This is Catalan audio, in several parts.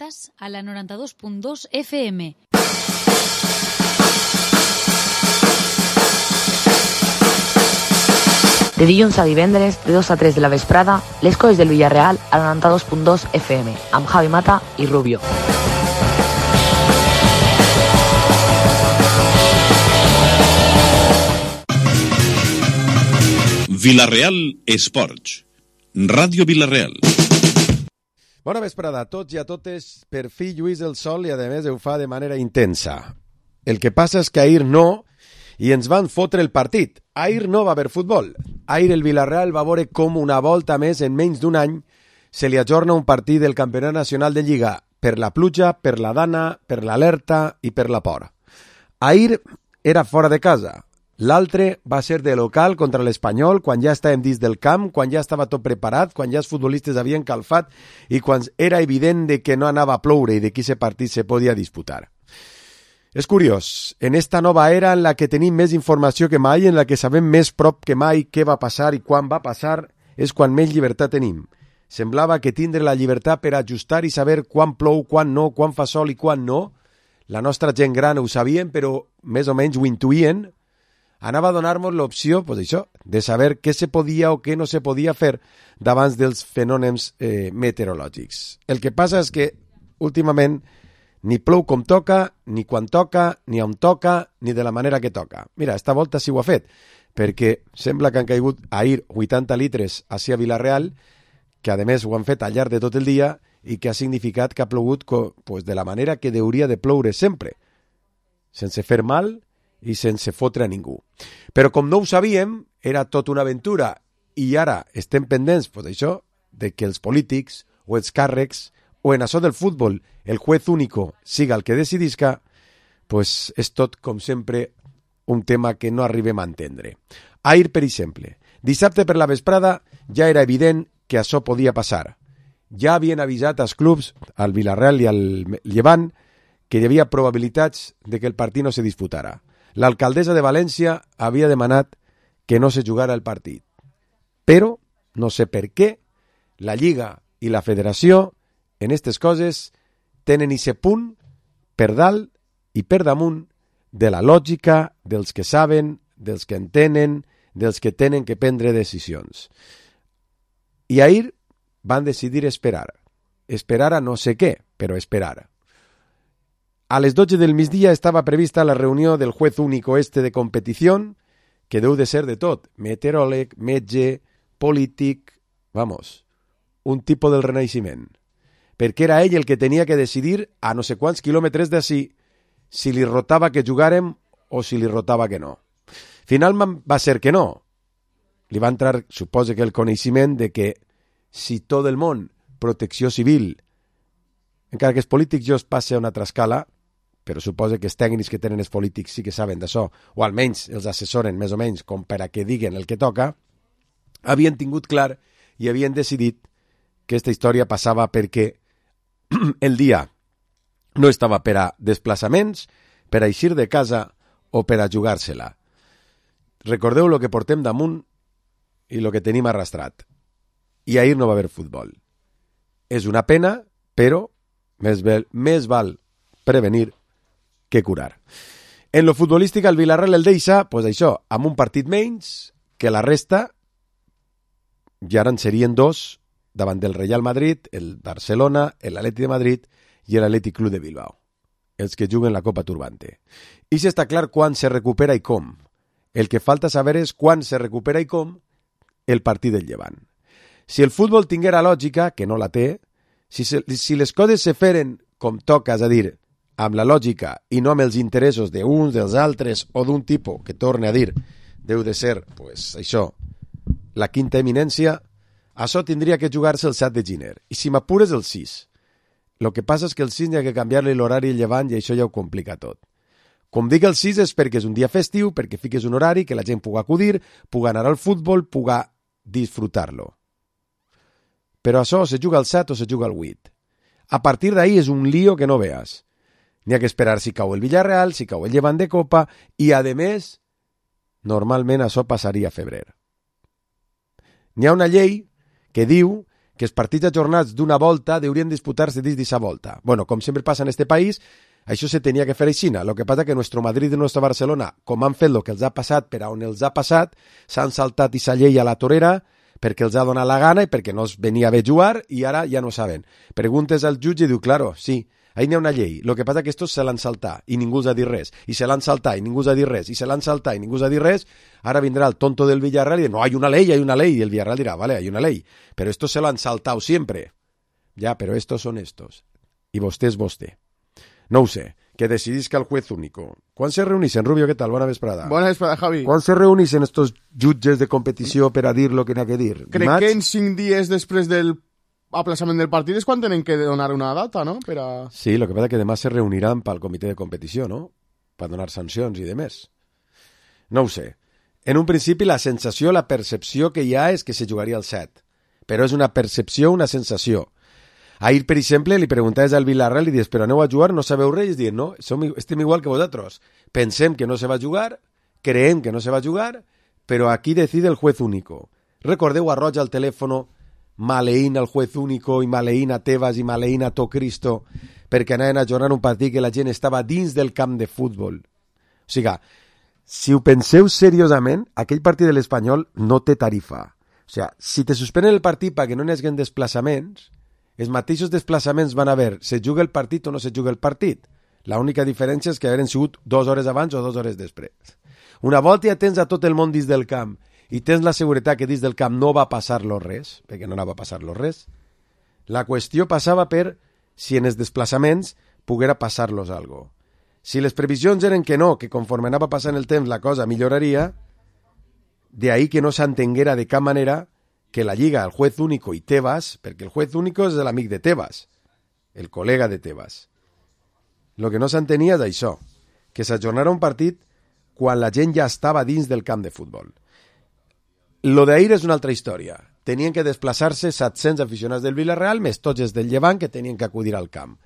Estàs a la 92.2 FM. De dilluns a divendres, de 2 a 3 de la vesprada, les coses del Villarreal a la 92.2 FM, amb Javi Mata i Rubio. Villarreal Esports. Ràdio Villarreal. Bona vesprada a tots i a totes. Per fi lluís el sol i a més ho fa de manera intensa. El que passa és que ahir no, i ens van fotre el partit. Ahir no va haver futbol. Ahir el Villarreal va veure com una volta més en menys d'un any se li ajorna un partit del Campionat Nacional de Lliga per la pluja, per la dana, per l'alerta i per la por. Ahir era fora de casa. L'altre va ser de local contra l'Espanyol quan ja estàvem dins del camp, quan ja estava tot preparat, quan ja els futbolistes havien calfat i quan era evident de que no anava a ploure i de que aquest partit se podia disputar. És curiós, en esta nova era en la que tenim més informació que mai, en la que sabem més prop que mai què va passar i quan va passar, és quan més llibertat tenim. Semblava que tindre la llibertat per ajustar i saber quan plou, quan no, quan fa sol i quan no. La nostra gent gran ho sabien, però més o menys ho intuïen. Anava a donar-nos l'opció, pues això, de saber què se podia o què no se podia fer davant dels fenòmens meteorològics. El que passa és que, últimament, ni plou com toca, ni quan toca, ni on toca, ni de la manera que toca. Mira, esta volta sí ho ha fet, perquè sembla que han caigut ahir 80 litres hacia Villarreal, que a més ho han fet al llarg de tot el dia i que ha significat que ha plogut pues, de la manera que hauria de ploure sempre, sense fer mal i sense fotre a ningú. Però com no ho sabíem, era tot una aventura i ara estem pendents, pues això, de que els polítics o els càrrecs o en això del futbol el juez único siga el que decidisca, pues és tot, com sempre, un tema que no arribem a entendre. Ahir, per exemple, dissabte per la vesprada ja era evident que això podia passar. Ja havien avisat als clubs, al Villarreal i al Llevant, que hi havia probabilitats de que el partit no se disputara. L'alcaldessa de València havia demanat que no se jugara el partit. Però, no sé per què, la Lliga i la Federació, en aquestes coses, tenen aquest punt per dalt i per damunt de la lògica dels que saben, dels que entenen, dels que tenen que prendre decisions. I ahir van decidir esperar. Esperar a no sé què, però esperar. A les 12 del migdia estava prevista la reunió del juez único de competició, que deu de ser de tot, meteoròleg, metge, polític, vamos, un tipus del Renaixement. Perquè era ell el que tenia que decidir a no sé quants quilòmetres d'ací si li rotava que jugàrem o si li rotava que no. Finalment va ser que no. Li va entrar, suposo que el coneixement de que si tot el món, protecció civil, encara que els polítics ja es passe a una altra escala, però suposo que els tècnics que tenen els polítics sí que saben d'això, o almenys els assessoren més o menys com per a que diguen el que toca, havien tingut clar i havien decidit que aquesta història passava perquè el dia no estava per a desplaçaments, per a eixir de casa o per a jugar-se-la. Recordeu el que portem damunt i el que tenim arrastrat. I ahir no va haver futbol. És una pena, però més val prevenir que curar. En lo futbolístic, el Villarreal el deixa, pues això, amb un partit menys que la resta, i ara en serien dos, davant del Real Madrid, el Barcelona, l'Atlètic de Madrid i l'Atlètic Club de Bilbao, els que juguen la Copa Turbante. I si està clar quan se recupera i com. El que falta saber és quan se recupera i com el partit del Llevant. Si el futbol tinguera lògica, que no la té, si les coses se feren com toca, és a dir, amb la lògica i no amb els interessos d'uns, dels altres o d'un tipus que, torne a dir, deu de ser, pues, això, la quinta eminència, això tindria que jugar-se el 7 de gener. I si m'apures, el 6. El que passa és que el 6 hi ha que canviar-li l'horari al Llevant i això ja ho complica tot. Com dic el 6 és perquè és un dia festiu, perquè fiques un horari, que la gent pugui acudir, pugui anar al futbol, pugui disfrutar-lo. Però això se juga al 7 o se juga al 8. A partir d'ahí és un lío que no veas. N'hi ha que esperar si cau el Villarreal, si cau el Llevant de Copa, i a més, normalment això passaria a febrer. N'hi ha una llei que diu que els partits ajornats d'una volta deurien disputar-se dins d'aquesta volta. Bueno, com sempre passa en este país, això se tenia que fer aixina. Lo que passa que nuestro Madrid i nuestro Barcelona, com han fet el que els ha passat per a on els ha passat, s'han saltat i sa llei a la torera perquè els ha donat la gana i perquè no els venia bé jugar i ara ja no saben. Preguntes al jutge i diu, claro, sí, ahí n'hi ha una llei. Lo que passa que estos se l'han saltat i ningú els ha dit res. I se l'han saltat i ningú els ha dit res. I se l'han saltat i ningú els ha dit res. Ara vindrà el tonto del Villarreal i dirà, no, hay una ley. Y el Villarreal dirá, vale, hay una ley. Pero estos se lo han saltado siempre. Ya, pero estos son estos. Y vostè és vostè. No ho sé. Que decidisca el juez único. ¿Cuándo se reunixen, Rubio? ¿Qué tal? Bona vesprada. Bona vesprada, Javi. ¿Cuándo se reunixen estos jutges de competició per a dir lo que n'ha que dir? Crec que en 5 dies després del aplaçament del partit és quan tenen que donar una data, no? Per a... Sí, lo que pasa que demà se reuniran pel comitè de competició, no? Per donar sancions i demés. No ho sé. En un principi la sensació, la percepció que hi ha és que se jugaria el 7. Però és una percepció, una sensació. Ahir, per exemple, li preguntaves al Villarreal i dius, però aneu a jugar, no sabeu res? I diuen, no, estem igual que vosaltres. Pensem que no se va a jugar, creem que no se va a jugar, però aquí decide el juez único. Recordeu a Roig al telèfono maleïn al juez único i maleïn a Tebas i maleïn a Cristo perquè anaven a ajornar un partit que la gent estava dins del camp de futbol. O sigui, si ho penseu seriosament, aquell partit de l'Espanyol no té tarifa. O sigui, si te suspenen el partit perquè no n'hi hagi desplaçaments, els mateixos desplaçaments van haver, se juga el partit o no se juga el partit. L'única diferència és que hagueren sigut 2 hores abans o 2 hores després. Una volta ja tens a tot el món dins del camp i tens la seguretat que dins del camp no va passar-lo res, perquè no anava a passar-lo res, la qüestió passava per si en els desplaçaments poguera passar-los algo. Si les previsions eren que no, que conforme anava passant el temps la cosa milloraria, de ahí que no s'entenguera de cap manera que la Lliga, el juez único i Tebas, perquè el juez único és l'amic de Tebas, el col·lega de Tebas. Lo que no s'entenia és això, que s'ajornara un partit quan la gent ja estava dins del camp de futbol. Lo d'ahir és una altra història. Tenien que desplaçar-se 700 aficionats del Villarreal més tots els del Llevant que tenien que acudir al camp.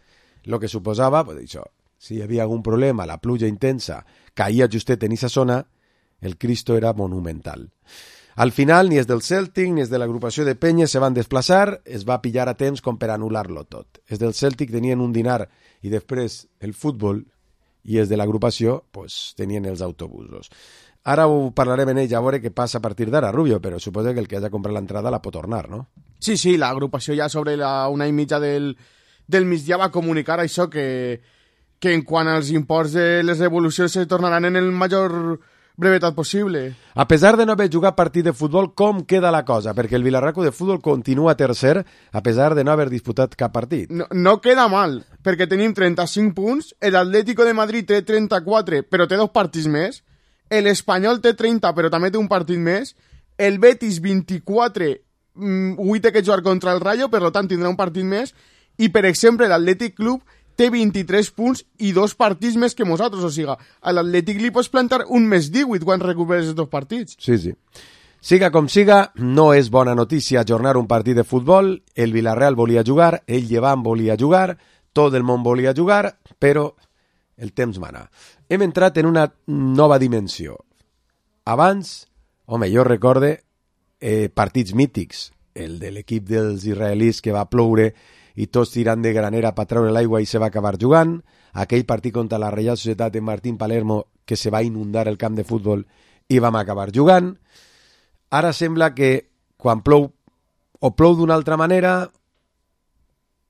Lo que suposava, pues, això, si hi havia algun problema, la pluja intensa caïa justet en aquesta zona, el Cristo era monumental. Al final, ni els del Celtic ni els de l'agrupació de Penyes se van desplaçar, es va pillar a temps com per anul·lar-lo tot. Els del Celtic tenien un dinar i després el futbol i els de l'agrupació pues, tenien els autobusos. Ara ho parlarem en ells a veure què passa a partir d'ara, Rubio, però suposa que el que hagi comprat l'entrada la pot tornar, no? Sí, sí, l'agrupació ja sobre la 1:30 del migdia va comunicar això, que en quant als imports de les devolucions se tornaran en el major brevetat possible. A pesar de no haver jugat partit de futbol, com queda la cosa? Perquè el Vilarraco de futbol continua tercer a pesar de no haver disputat cap partit. No queda mal, perquè tenim 35 punts, l'Atlético de Madrid té 34, però té 2 partits més, l'Espanyol té 30, però també té un partit més, el Betis 24, avui té que jugar contra el Rayo, per tant tindrà un partit més, i per exemple l'Atlètic Club té 23 punts i 2 partits més que nosaltres, o sigui, a l'Atlètic li pots plantar un més 18 quan recuperes els 2 partits. Sí, sí. Siga com siga, no és bona notícia ajornar un partit de futbol, el Villarreal volia jugar, el Llevant volia jugar, tot el món volia jugar, però el temps mana. Hem entrat en una nova dimensió. Abans, home, jo recorde partits mítics, el de l'equip dels israelis que va ploure i tots tirant de granera per treure l'aigua i se va acabar jugant, aquell partit contra la Reial Societat de Martín Palermo que se va inundar el camp de futbol i vam acabar jugant. Ara sembla que quan plou o plou d'una altra manera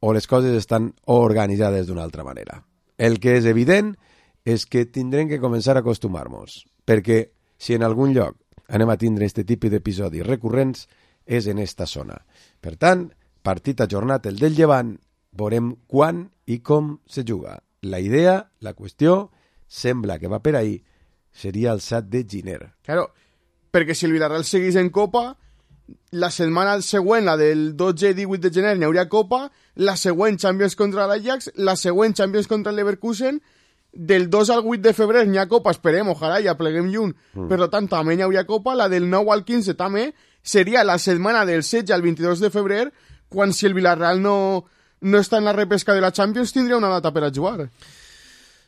o les coses estan organitzades d'una altra manera. El que és evident és que tindrem que començar a acostumar-nos, perquè si en algun lloc anem a tindre aquest tipus d'episodis recurrents és en esta zona. Per tant, partit ajornat el del Llevant, veurem quan i com se juga. La idea, la qüestió, sembla que va per ahí, seria el 7 de gener. Claro, perquè si el Villarreal seguís en Copa, la setmana següent, la del 12 i 18 de gener, n'hi hauria Copa, la següent Champions contra l'Ajax, la següent Champions contra el Leverkusen, del 2 al 8 de febrer n'hi ha Copa, esperem, ojalà, ja pleguem lluny, per tant, també n'hi hauria Copa, la del 9 al 15 també, seria la setmana del 16 al 22 de febrer, quan si el Villarreal no està en la repesca de la Champions tindria una data per a jugar.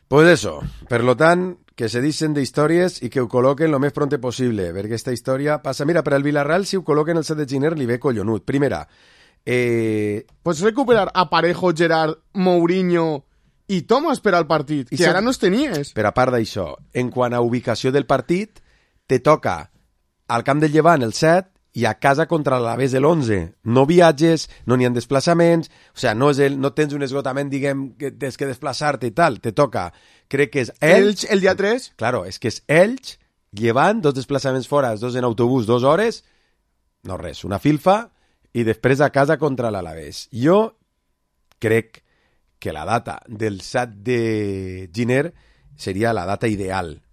Pues eso, per lo tant, que se dicen de històries i que ho col·loquen lo més pronte possible, perquè aquesta història passa... Mira, per al Villarreal, si ho col·loquen el 7 de gener, li ve collonut. Primera, Pots recuperar a Parejo, Gerard, Mourinho i Thomas per al partit, que ara no els tenies. Però a part d'això, en quant a ubicació del partit, te toca al camp del Llevant el 7 i a casa contra l'Alavés l'11. No viatges, no n'hi ha desplaçaments, o sigui, no tens un esgotament, diguem, que tens que desplaçar-te i tal. Te toca, crec que és Elx el dia 3. Claro, és que és Elx, Llevant, 2 desplaçaments fora, 2 en autobús, 2 hores, no res, una filfa, i després a casa contra l'Alavés. Jo crec que la data del 7 de gener seria la data ideal,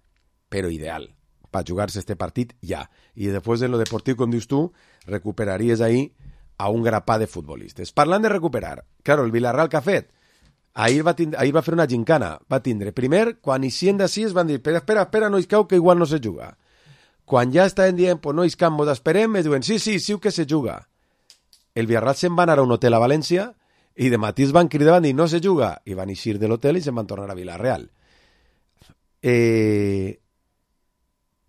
però ideal, per jugar-se este partit ja. I després en lo deportiu, com dius tu, recuperaries ahí a un grapà de futbolistes. Parlant de recuperar, claro, el Villarreal que ha fet, ahir va fer una gincana, va tindre, primer, quan eixien d'ací es van dir, espera, no iscau, que igual no se juga. Quan ja estaven dient, pues no iscam, vos esperem, es diuen, sí que se juga. El Villarreal se'n va anar a un hotel a València i de matí es van cridar, van dir, no se juga, i van eixir de l'hotel i se'n van tornar a Villarreal.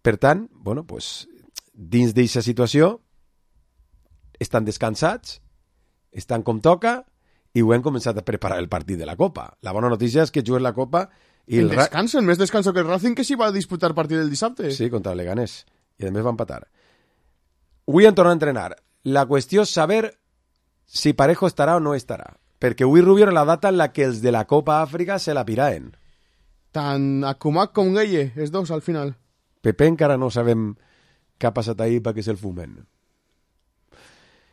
Per tant, bueno, pues, dins d'aquesta situació, estan descansats, estan com toca, i ho hem començat a preparar el partit de la Copa. La bona notícia és que juguen la Copa i el descanso, més descanso que el Racing, que s'hi va disputar el partit del dissabte. Sí, contra el Leganés. I a més va empatar. Avui han tornat a entrenar. La qüestió és saber si Parejo estarà o no estarà. Perquè avui Rubio era la data en la que els de la Copa Àfrica se la piraen. Tant Akumak com Gueye, els dos al final. Pepe encara no sabem què ha passat ahir perquè se'l fumen.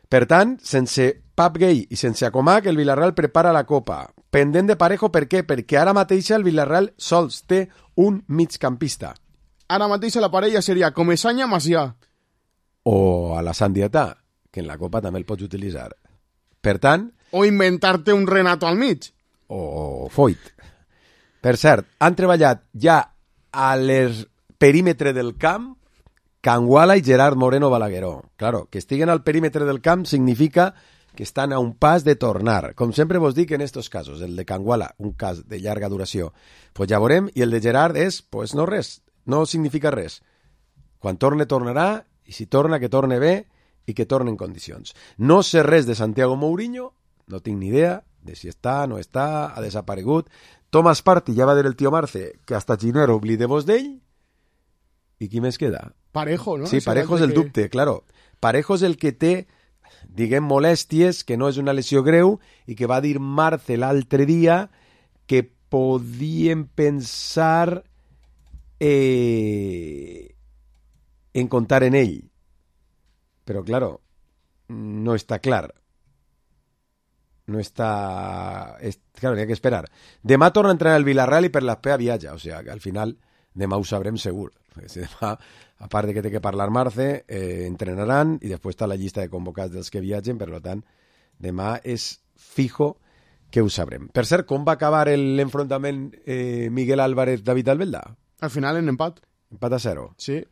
Per tant, sense Pap Gay i sense Akumak, el Villarreal prepara la Copa. Pendent de Parejo, per què? Perquè ara mateix el Villarreal sols té un migcampista. Ara mateix la parella seria Comesaña Macià. O a la Sandiatà, que en la Copa també el pots utilitzar. Per tant... O inventar-te un Renato al mig. O Foyt. Per cert, han treballat ja a perímetre del camp Canguala i Gerard Moreno Balagueró. Claro, que estiguen al perímetre del camp significa que estan a un pas de tornar. Com sempre vos dic en estos casos, el de Canguala, un cas de llarga duració, pues ja veurem, i el de Gerard és, pues no res, no significa res. Quan torne, tornarà, i si torna, que torne bé i que torne en condicions. No sé res de Santiago Mourinho, no tinc ni idea de si està, no està, ha desaparegut. Thomas Partey, ja va dir el tio Marce, que hasta Giner oblideu-vos d'ell, i qui més queda? Parejo, no? Sí, Parejo és el dubte, claro. Parejo és el que té, diguem, molèsties, que no és una lesió greu, i que va dir Marce l'altre dia que podien pensar en comptar en ell. Però, claro, no està clar. No està... Claro, n'hi ha que esperar. Demà torna a entrenar el Villarreal i per l'Espea viatja. O sigui, que al final demà ho sabrem segur. Demà, a part de que té que parlar Marce, entrenaran i després està la llista de convocats dels que viatgen, per tant, demà és fijo que ho sabrem. Per cert, com va acabar l'enfrontament Miguel Álvarez-David Albelda? Al final en empat. Empat a 0. Sí.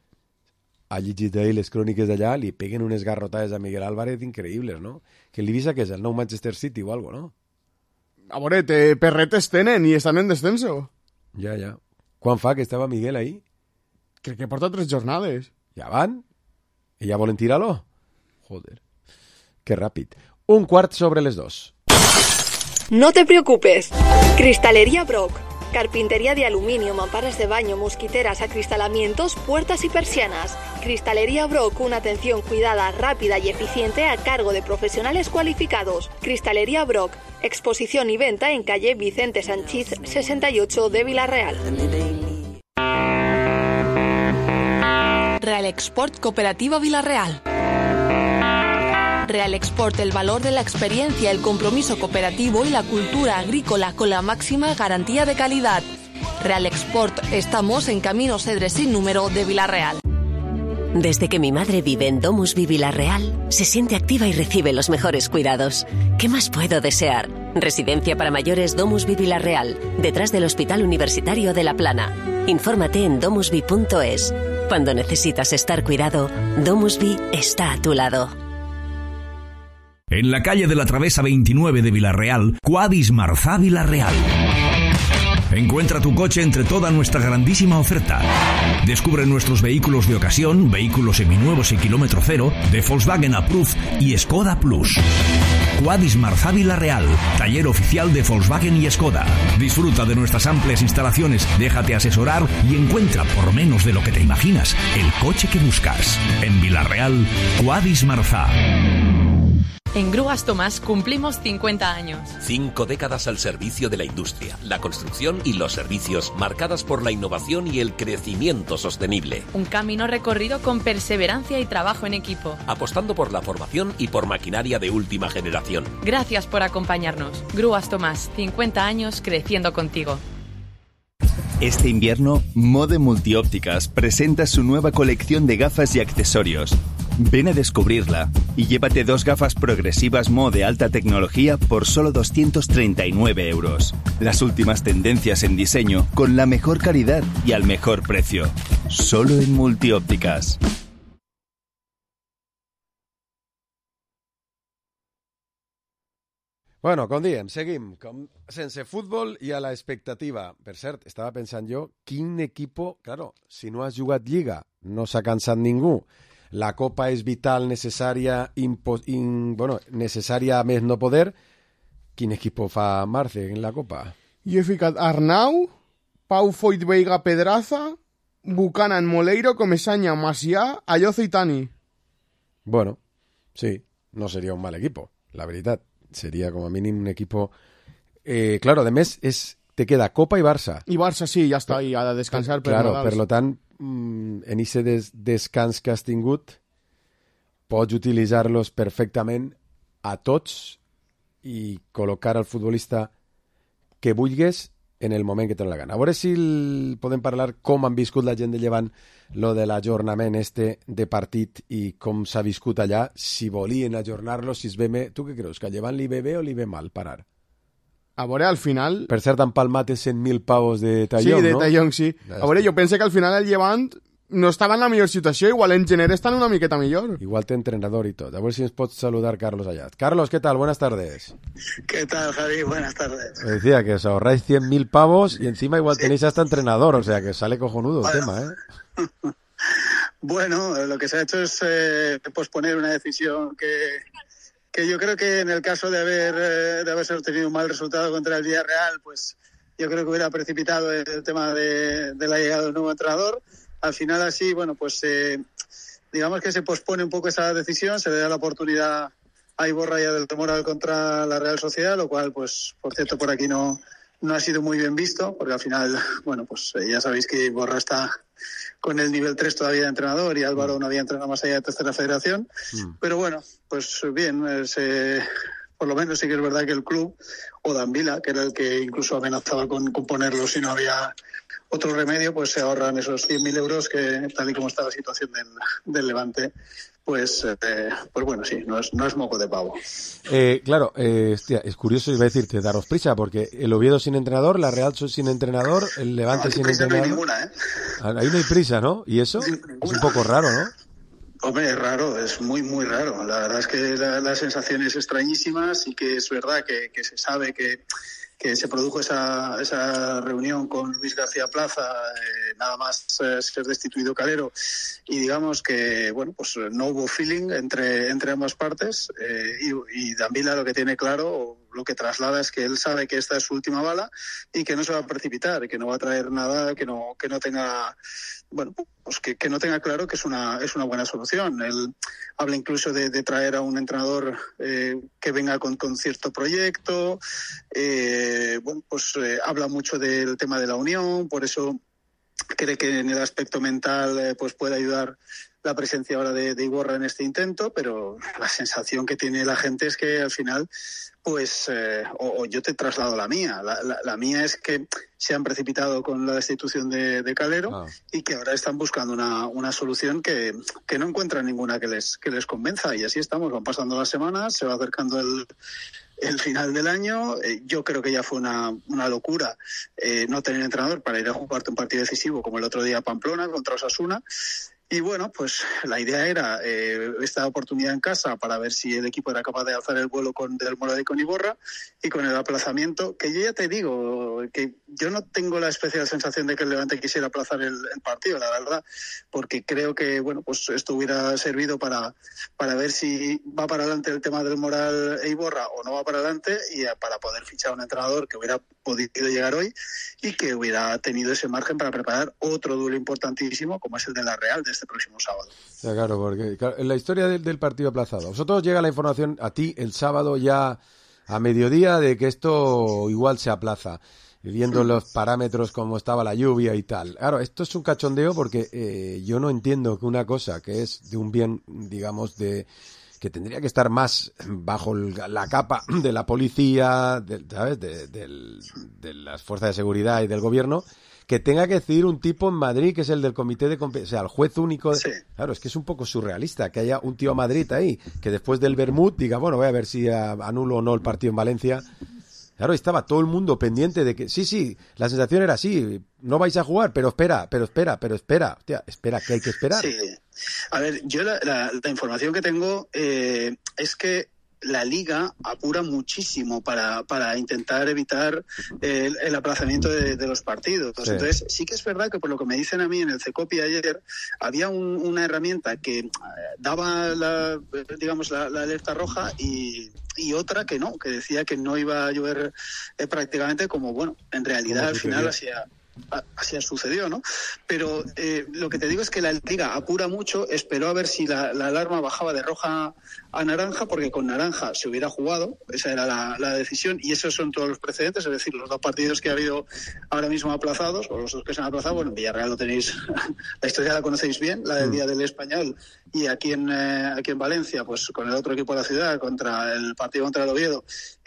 Ha llegit ahir les cròniques d'allà, li peguen unes garrotades a Miguel Álvarez increïbles, no? Que l'Ibiza, que és el nou Manchester City o algo, no? A veure, perretes tenen i estan en descenso. Ja. Quan fa que estava Miguel ahí? Crec que porta 3 jornades. Ja van? I ja volen tirar-lo? Joder, que ràpid. 1:15. No te preocupes. Cristalería Brock. Carpintería de aluminio, mamparas de baño, mosquiteras, acristalamientos, puertas y persianas. Cristalería Brock, una atención cuidada, rápida y eficiente a cargo de profesionales cualificados. Cristalería Brock, exposición y venta en calle Vicente Sanchís 68 de Villarreal. Real Export Cooperativa Villarreal. Real Export, el valor de la experiencia, el compromiso cooperativo y la cultura agrícola con la máxima garantía de calidad. Real Export, estamos en Camino Cedres sin número de Villarreal. Desde que mi madre vive en Domusvi Villarreal, se siente activa y recibe los mejores cuidados. ¿Qué más puedo desear? Residencia para mayores Domusvi Villarreal, detrás del Hospital Universitario de La Plana. Infórmate en domusvi.es. Cuando necesitas estar cuidado, Domusvi está a tu lado. En la calle de la Travesa 29 de Villarreal, Quadis Marzá Villarreal. Encuentra tu coche entre toda nuestra grandísima oferta. Descubre nuestros vehículos de ocasión, vehículos seminuevos y kilómetro cero, de Volkswagen Approved y Skoda Plus. Quadis Marzá Vila-real, taller oficial de Volkswagen y Skoda. Disfruta de nuestras amplias instalaciones, déjate asesorar y encuentra por menos de lo que te imaginas el coche que buscas. En Vila-real, Quadis Marzá. En Grúas Tomás cumplimos 50 años. 5 décadas al servicio de la industria, la construcción y los servicios, marcadas por la innovación y el crecimiento sostenible. Un camino recorrido con perseverancia y trabajo en equipo. Apostando por la formación y por maquinaria de última generación. Gracias por acompañarnos. Grúas Tomás, 50 años creciendo contigo. Este invierno, Mode Multiópticas presenta su nueva colección de gafas y accesorios. Ven a descubrirla y llévate 2 gafas progresivas Mode de alta tecnología por solo 239 euros. Las últimas tendencias en diseño con la mejor calidad y al mejor precio. Solo en Multiópticas. Bueno, com diem, seguim sense futbol i a la expectativa. Per cert, estava pensant jo, quin equipo... Claro, si no has jugat Lliga, no s'ha cansat ningú. La Copa és vital, necessària, necessària a més no poder. Quin equipo fa Marce en la Copa? Jo he ficat Arnau, Pau Foyt Veiga Pedraza, Buchanan Moleiro, Comesaña Macià, Ayozo i Tani. Bueno, sí, no seria un mal equipo, la veritat. Sería como a mínim un equipo... claro, además te queda Copa y Barça. Y Barça sí, ya está ahí, ha de descansar. Claro, per lo tant, en ese descans que has tingut, pots utilitzar-los perfectament a tots i col·locar al futbolista que vulguis en el moment que té la gana. A veure si podem parlar com han viscut la gent de Llevant lo de l'ajornament de partit i com s'ha viscut allà, si volien ajornar-lo, si es ve bé... Tu què creus, que a Llevant li ve bé o li ve mal parar? A veure, al final... Per cert, han palmat en 100.000 pavos de Tallong, sí, de no? Tallong, sí. A veure, jo penso que al final el Llevant no estava en la millor situació, igual en gener estan una miqueta millor. Igual té entrenador y todo. A ver si nos puedes saludar Carlos allá. Carlos, ¿qué tal? Buenas tardes. ¿Qué tal, Javi? Buenas tardes. Me decía que os ahorráis 100.000 pavos y encima igual tenéis hasta entrenador, o sea que sale cojonudo el tema, ¿eh? Bueno, lo que se ha hecho es posponer una decisión que yo creo que en el caso de haberse obtenido un mal resultado contra el Villarreal, pues yo creo que hubiera precipitado el tema de la llegada del nuevo entrenador. Al final así, bueno, pues digamos que se pospone un poco esa decisión, se le da la oportunidad a Iborra y a Del Moral contra la Real Sociedad, lo cual, pues, por cierto, por aquí no ha sido muy bien visto, porque al final, bueno, pues ya sabéis que Iborra está con el nivel 3 todavía de entrenador y Álvaro no había entrenado más allá de tercera federación. Pero bueno, pues bien, por lo menos sí que es verdad que el club, o Danvila, que era el que incluso amenazaba con ponerlo si no había otro remedio, pues se ahorran esos 100.000 euros que, tal y como está la situación del Levante, pues bueno, sí, no es moco de pavo. Claro, hostia, es curioso, iba a decirte, daros prisa, porque el Oviedo sin entrenador, la Real sin entrenador, el Levante sin entrenador. No hay ninguna, ¿eh? Ahí no hay prisa, ¿no? ¿Y eso? Es un poco raro, ¿no? Hombre, es raro, es muy, muy raro. La verdad es que la sensación es extrañísima, sí que es verdad que se sabe que se produjo esa reunión con Luis García Plaza, nada más ser destituido Calero, y digamos que, bueno, pues no hubo feeling entre ambas partes, y Danvila lo que tiene claro, lo que traslada es que él sabe que esta es su última bala y que no se va a precipitar, que no va a traer nada que no tenga... Bueno, pues que no tenga claro que es una buena solución. Él habla incluso de traer a un entrenador que venga con cierto proyecto. Bueno, pues habla mucho del tema de la unión, por eso cree que en el aspecto mental pues puede ayudar la presencia ahora de Iborra en este intento, pero la sensación que tiene la gente es que al final, pues, o yo te traslado la mía. La mía es que se han precipitado con la destitución de Calero y que ahora están buscando una solución que no encuentran ninguna que les convenza. Y así estamos, van pasando las semanas, se va acercando el final del año. Yo creo que ya fue una locura no tener entrenador para ir a jugarte un partido decisivo como el otro día a Pamplona contra Osasuna. Y bueno, pues la idea era esta oportunidad en casa para ver si el equipo era capaz de alzar el vuelo del Moral y con Iborra, y con el aplazamiento, que yo ya te digo que yo no tengo la especial sensación de que el Levante quisiera aplazar el partido, la verdad, porque creo que bueno, pues esto hubiera servido para ver si va para adelante el tema del Moral e Iborra o no va para adelante, y para poder fichar a un entrenador que hubiera podido llegar hoy y que hubiera tenido ese margen para preparar otro duelo importantísimo como es el de la Real de este próximo sábado. Ya, claro, porque en la historia del partido aplazado, vosotros llega la información a ti el sábado ya a mediodía de que esto igual se aplaza, viendo los parámetros como estaba la lluvia y tal. Claro, esto es un cachondeo porque yo no entiendo que una cosa que es de un bien, digamos, que tendría que estar más bajo la capa de la policía, ¿sabes? De las fuerzas de seguridad y del gobierno, que tenga que decidir un tipo en Madrid que es el del comité de competencia, o sea, el juez único. Sí. Claro, es que es un poco surrealista que haya un tío a Madrid ahí, que después del Bermud diga, bueno, voy a ver si anulo o no el partido en Valencia. Claro, estaba todo el mundo pendiente de que, sí, la sensación era así, no vais a jugar, pero espera. Hostia, espera, ¿qué hay que esperar? Sí. A ver, yo la información que tengo es que la Liga apura muchísimo para intentar evitar el aplazamiento de los partidos. Sí. Entonces, sí que es verdad que por lo que me dicen a mí en el CECOPI ayer, había una herramienta que daba la alerta roja y otra que no, que decía que no iba a llover prácticamente, como bueno, en realidad al final así sucedió, ¿no? Pero lo que te digo es que la Liga apura mucho, esperó a ver si la alarma bajaba de roja a naranja, porque con naranja se hubiera jugado, esa era la decisión, y esos son todos los precedentes, es decir, los dos partidos que ha habido ahora mismo aplazados, o los dos que se han aplazado, bueno, en Villarreal lo tenéis, la historia la conocéis bien, la del Día del Español, y aquí en Valencia, pues con el otro equipo de la ciudad, contra el partido contra el Oviedo,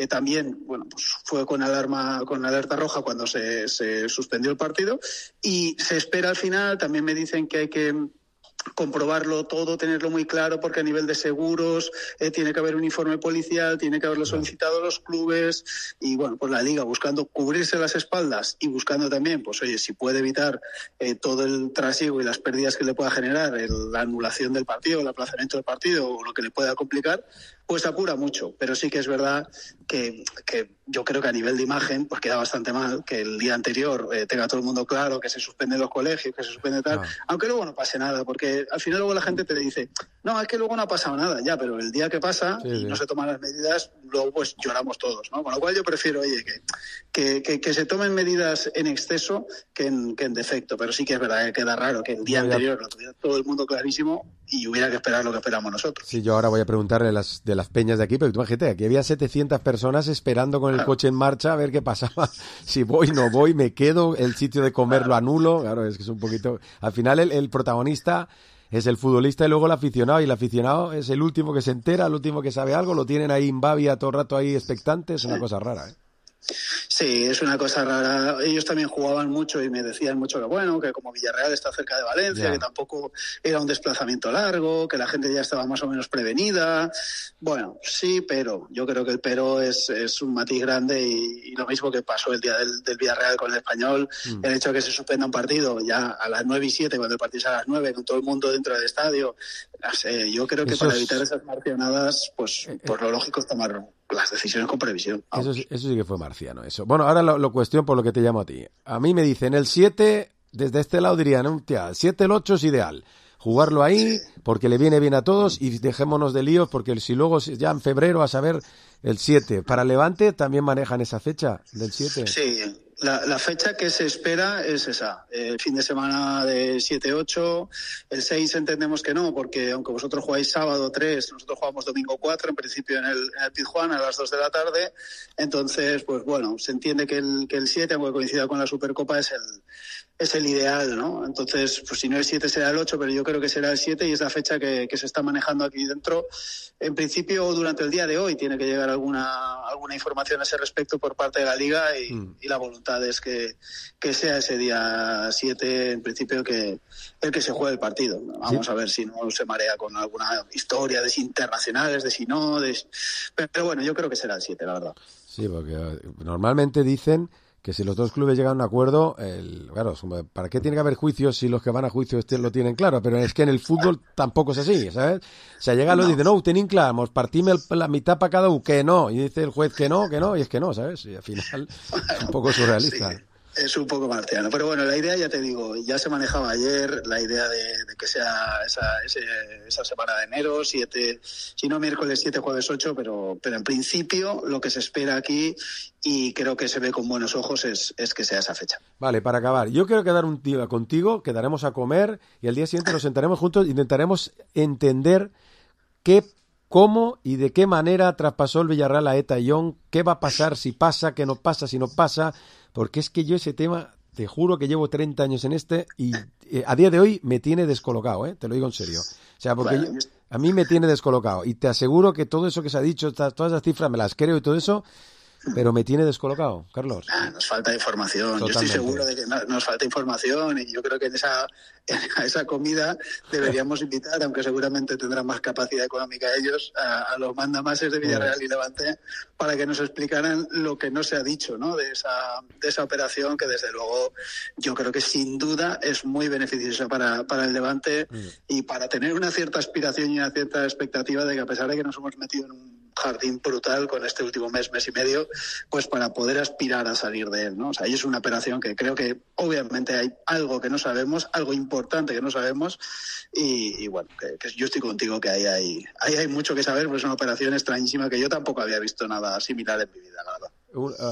también, bueno, pues fue con alerta roja cuando se suspendió el partido, y se espera al final. También me dicen que hay que comprobarlo todo, tenerlo muy claro, porque a nivel de seguros tiene que haber un informe policial, tiene que haberlo solicitado los clubes, y bueno, pues la Liga buscando cubrirse las espaldas y buscando también, pues oye, si puede evitar todo el trasiego y las pérdidas que le pueda generar la anulación del partido, el aplazamiento del partido o lo que le pueda complicar, pues apura mucho. Pero sí que es verdad que yo creo que a nivel de imagen pues queda bastante mal que el día anterior tenga todo el mundo claro que se suspenden los colegios, que se suspende tal, aunque luego no pase nada, porque al final luego la gente te dice, no, es que luego no ha pasado nada, ya, pero el día que pasa y no se toman las medidas, luego pues lloramos todos, ¿no? Con lo cual yo prefiero, oye, que se tomen medidas en exceso que en defecto, pero sí que es verdad que queda raro que el día anterior lo tuviera todo el mundo clarísimo y hubiera que esperar lo que esperamos nosotros. Sí, yo ahora voy a preguntarle de las peñas de aquí, pero tú imagínate, aquí había 700 personas esperando con el coche en marcha a ver qué pasaba, si voy, no voy, me quedo, el sitio de comer lo anulo. Claro, es que es un poquito... Al final el protagonista es el futbolista y luego el aficionado, y el aficionado es el último que se entera, el último que sabe algo, lo tienen ahí en babia todo el rato ahí expectante, es una cosa rara, ¿eh? Sí, es una cosa rara. Ellos también jugaban mucho y me decían mucho que bueno, que como Villarreal está cerca de Valencia, que tampoco era un desplazamiento largo, que la gente ya estaba más o menos prevenida. Bueno, sí, pero yo creo que el pero es un matiz grande, y lo mismo que pasó el día del Villarreal con el Español, el hecho de que se suspenda un partido ya a las 9:07, cuando el partido es a las 9, con todo el mundo dentro del estadio. Yo creo que para evitar esas marcionadas, pues lo lógico es tomar las decisiones con previsión. Eso sí que fue marciano, eso. Bueno, ahora lo cuestión por lo que te llamo a ti. A mí me dicen el 7, desde este lado dirían, el 7, el 8 es ideal. Jugarlo ahí, porque le viene bien a todos, y dejémonos de líos, porque si luego ya en febrero a saber el 7. Para Levante también manejan esa fecha del 7. Sí. La fecha que se espera es esa, el fin de semana de 7-8, el 6 entendemos que no, porque aunque vosotros jugáis sábado 3, nosotros jugamos domingo 4, en principio en el Pizjuán a las 2 de la tarde, entonces, pues bueno, se entiende que el 7, aunque coincida con la Supercopa, es el ideal, ¿no? Entonces, pues si no el 7 será el 8, pero yo creo que será el 7, y es la fecha que se está manejando aquí dentro. En principio, durante el día de hoy tiene que llegar alguna información a ese respecto por parte de la Liga, y la voluntad es que sea ese día 7, en principio, el que se juegue el partido. Vamos a ver si no se marea con alguna historia de si internacionales, de si no, pero bueno, yo creo que será el 7, la verdad. Sí, porque normalmente dicen que si los dos clubes llegan a un acuerdo, claro, ¿para qué tiene que haber juicios si los que van a juicio lo tienen claro? Pero es que en el fútbol tampoco es así, ¿sabes? O sea, llega y dice, no, tenim clar, mos partim la mitad para cada uno, que no, y dice el juez que no, y es que no, ¿sabes? Y al final es un poco surrealista. Sí. Es un poco marciano, pero bueno, la idea, ya te digo, ya se manejaba ayer, la idea de que sea esa semana de enero, 7, si no miércoles 7, jueves 8, pero en principio lo que se espera aquí, y creo que se ve con buenos ojos, es que sea esa fecha. Vale, para acabar, yo quiero quedar un día contigo, quedaremos a comer y al día siguiente nos sentaremos juntos, intentaremos entender cómo y de qué manera traspasó el Villarreal a Eta Young, qué va a pasar, si pasa, qué no pasa, si no pasa, porque es que yo ese tema, te juro que llevo 30 años en y a día de hoy me tiene descolocado, te lo digo en serio. O sea, porque a mí me tiene descolocado y te aseguro que todo eso que se ha dicho, todas esas cifras me las creo y todo eso, pero me tiene descolocado, Carlos. Nos falta información. Totalmente. Yo estoy seguro de que nos falta información, y yo creo que a esa comida deberíamos invitar, aunque seguramente tendrán más capacidad económica ellos, a los mandamases de Villarreal y Levante, para que nos explicaran lo que no se ha dicho, ¿no? de esa operación, que desde luego yo creo que sin duda es muy beneficiosa para el Levante y para tener una cierta aspiración y una cierta expectativa de que, a pesar de que nos hemos metido en un jardín brutal con este último mes y medio, pues para poder aspirar a salir de él, ¿no? O sea, ahí es una operación que creo que obviamente hay algo que no sabemos, algo importante que no sabemos, y bueno, que yo estoy contigo, que ahí hay mucho que saber, porque es una operación extrañísima que yo tampoco había visto nada similar en mi vida, la verdad.